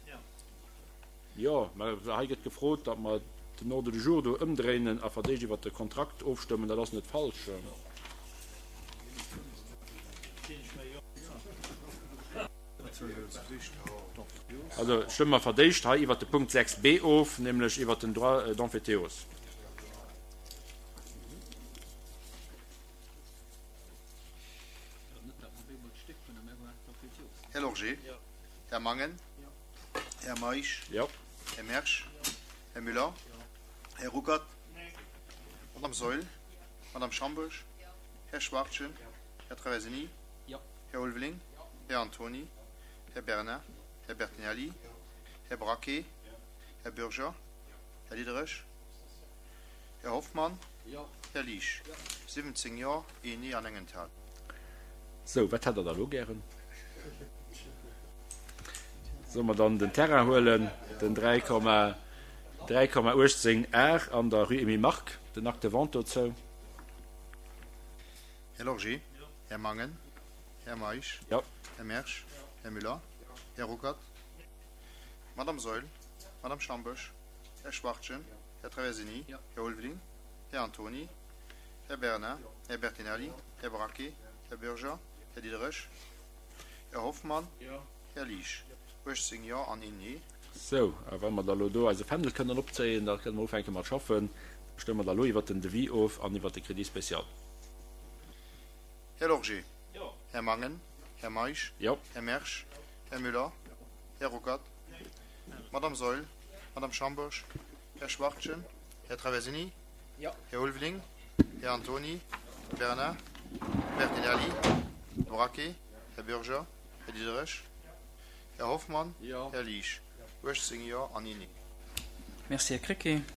Jo, mä hei gëtt gefrot, datt mer den Ordre du jour do ëmdréinen a fir d'éischt iwwert de Kontrakt ofstëmmen. Dat ass net falsch. Also stëmme mer fir d'éischt hei iwwert de Punkt 6b of, nämlech iwwert den Droit d'emphytéose. Här Lorgé. Här Mangen. Här Meisch. Här Mersch. Här Müller. Här Ruckert. Madame Saeul. Madame Schambourg. Här Schwachtgen. Här Traversini. Här Ulveling. Här Antony. Här Bernard. Här Bertinelli. Här Braquet. Här Bürger. Här Diderich. Här Hoffmann. Här Liesch. 17 Jo, een Nee an eng Enthalung. Sou, wat hätt Der da elo gären? Solle mer dann den Terrain huelen, den 3,18 Ar an der Rue Emile Mark, den Acte de vente dozou? Här Lorgé. Här Mangen. Här Meisch. Här Mersch. Här Müller. Här Ruckert. Madame Saeul. Madame Schambourg. Här Schwachtgen. Här Traversini. Här Ulveling. Här Antony. Här Bernard. Här Bertinelli. Här Braquet. Här Bürger. Här Diderich. Här Hoffmann. Här Liesch. 18 Jo an een Nee. Sou, a wa mer da elo do eise Fändel kënnen opzéien, da kënne mer ufänke mat schaffen. Stëmme mer da elo iwwert den Devis of an iwwert de Crédit spécial. Här Lorgé. Här Mangen. Här Meisch. Här Mersch. Här Müller. Här Ruckert. Madame Saeul. Madame Schambourg. Här Schwachtgen. Här Traversini. Här Ulveling. Här Antony. Bernard. Bertinelli. Här Braquet. Här Bürger. Här Diderich. Här Hoffmann. Här Liesch. 18 Jo an een Nee. Merci, Här Krecké.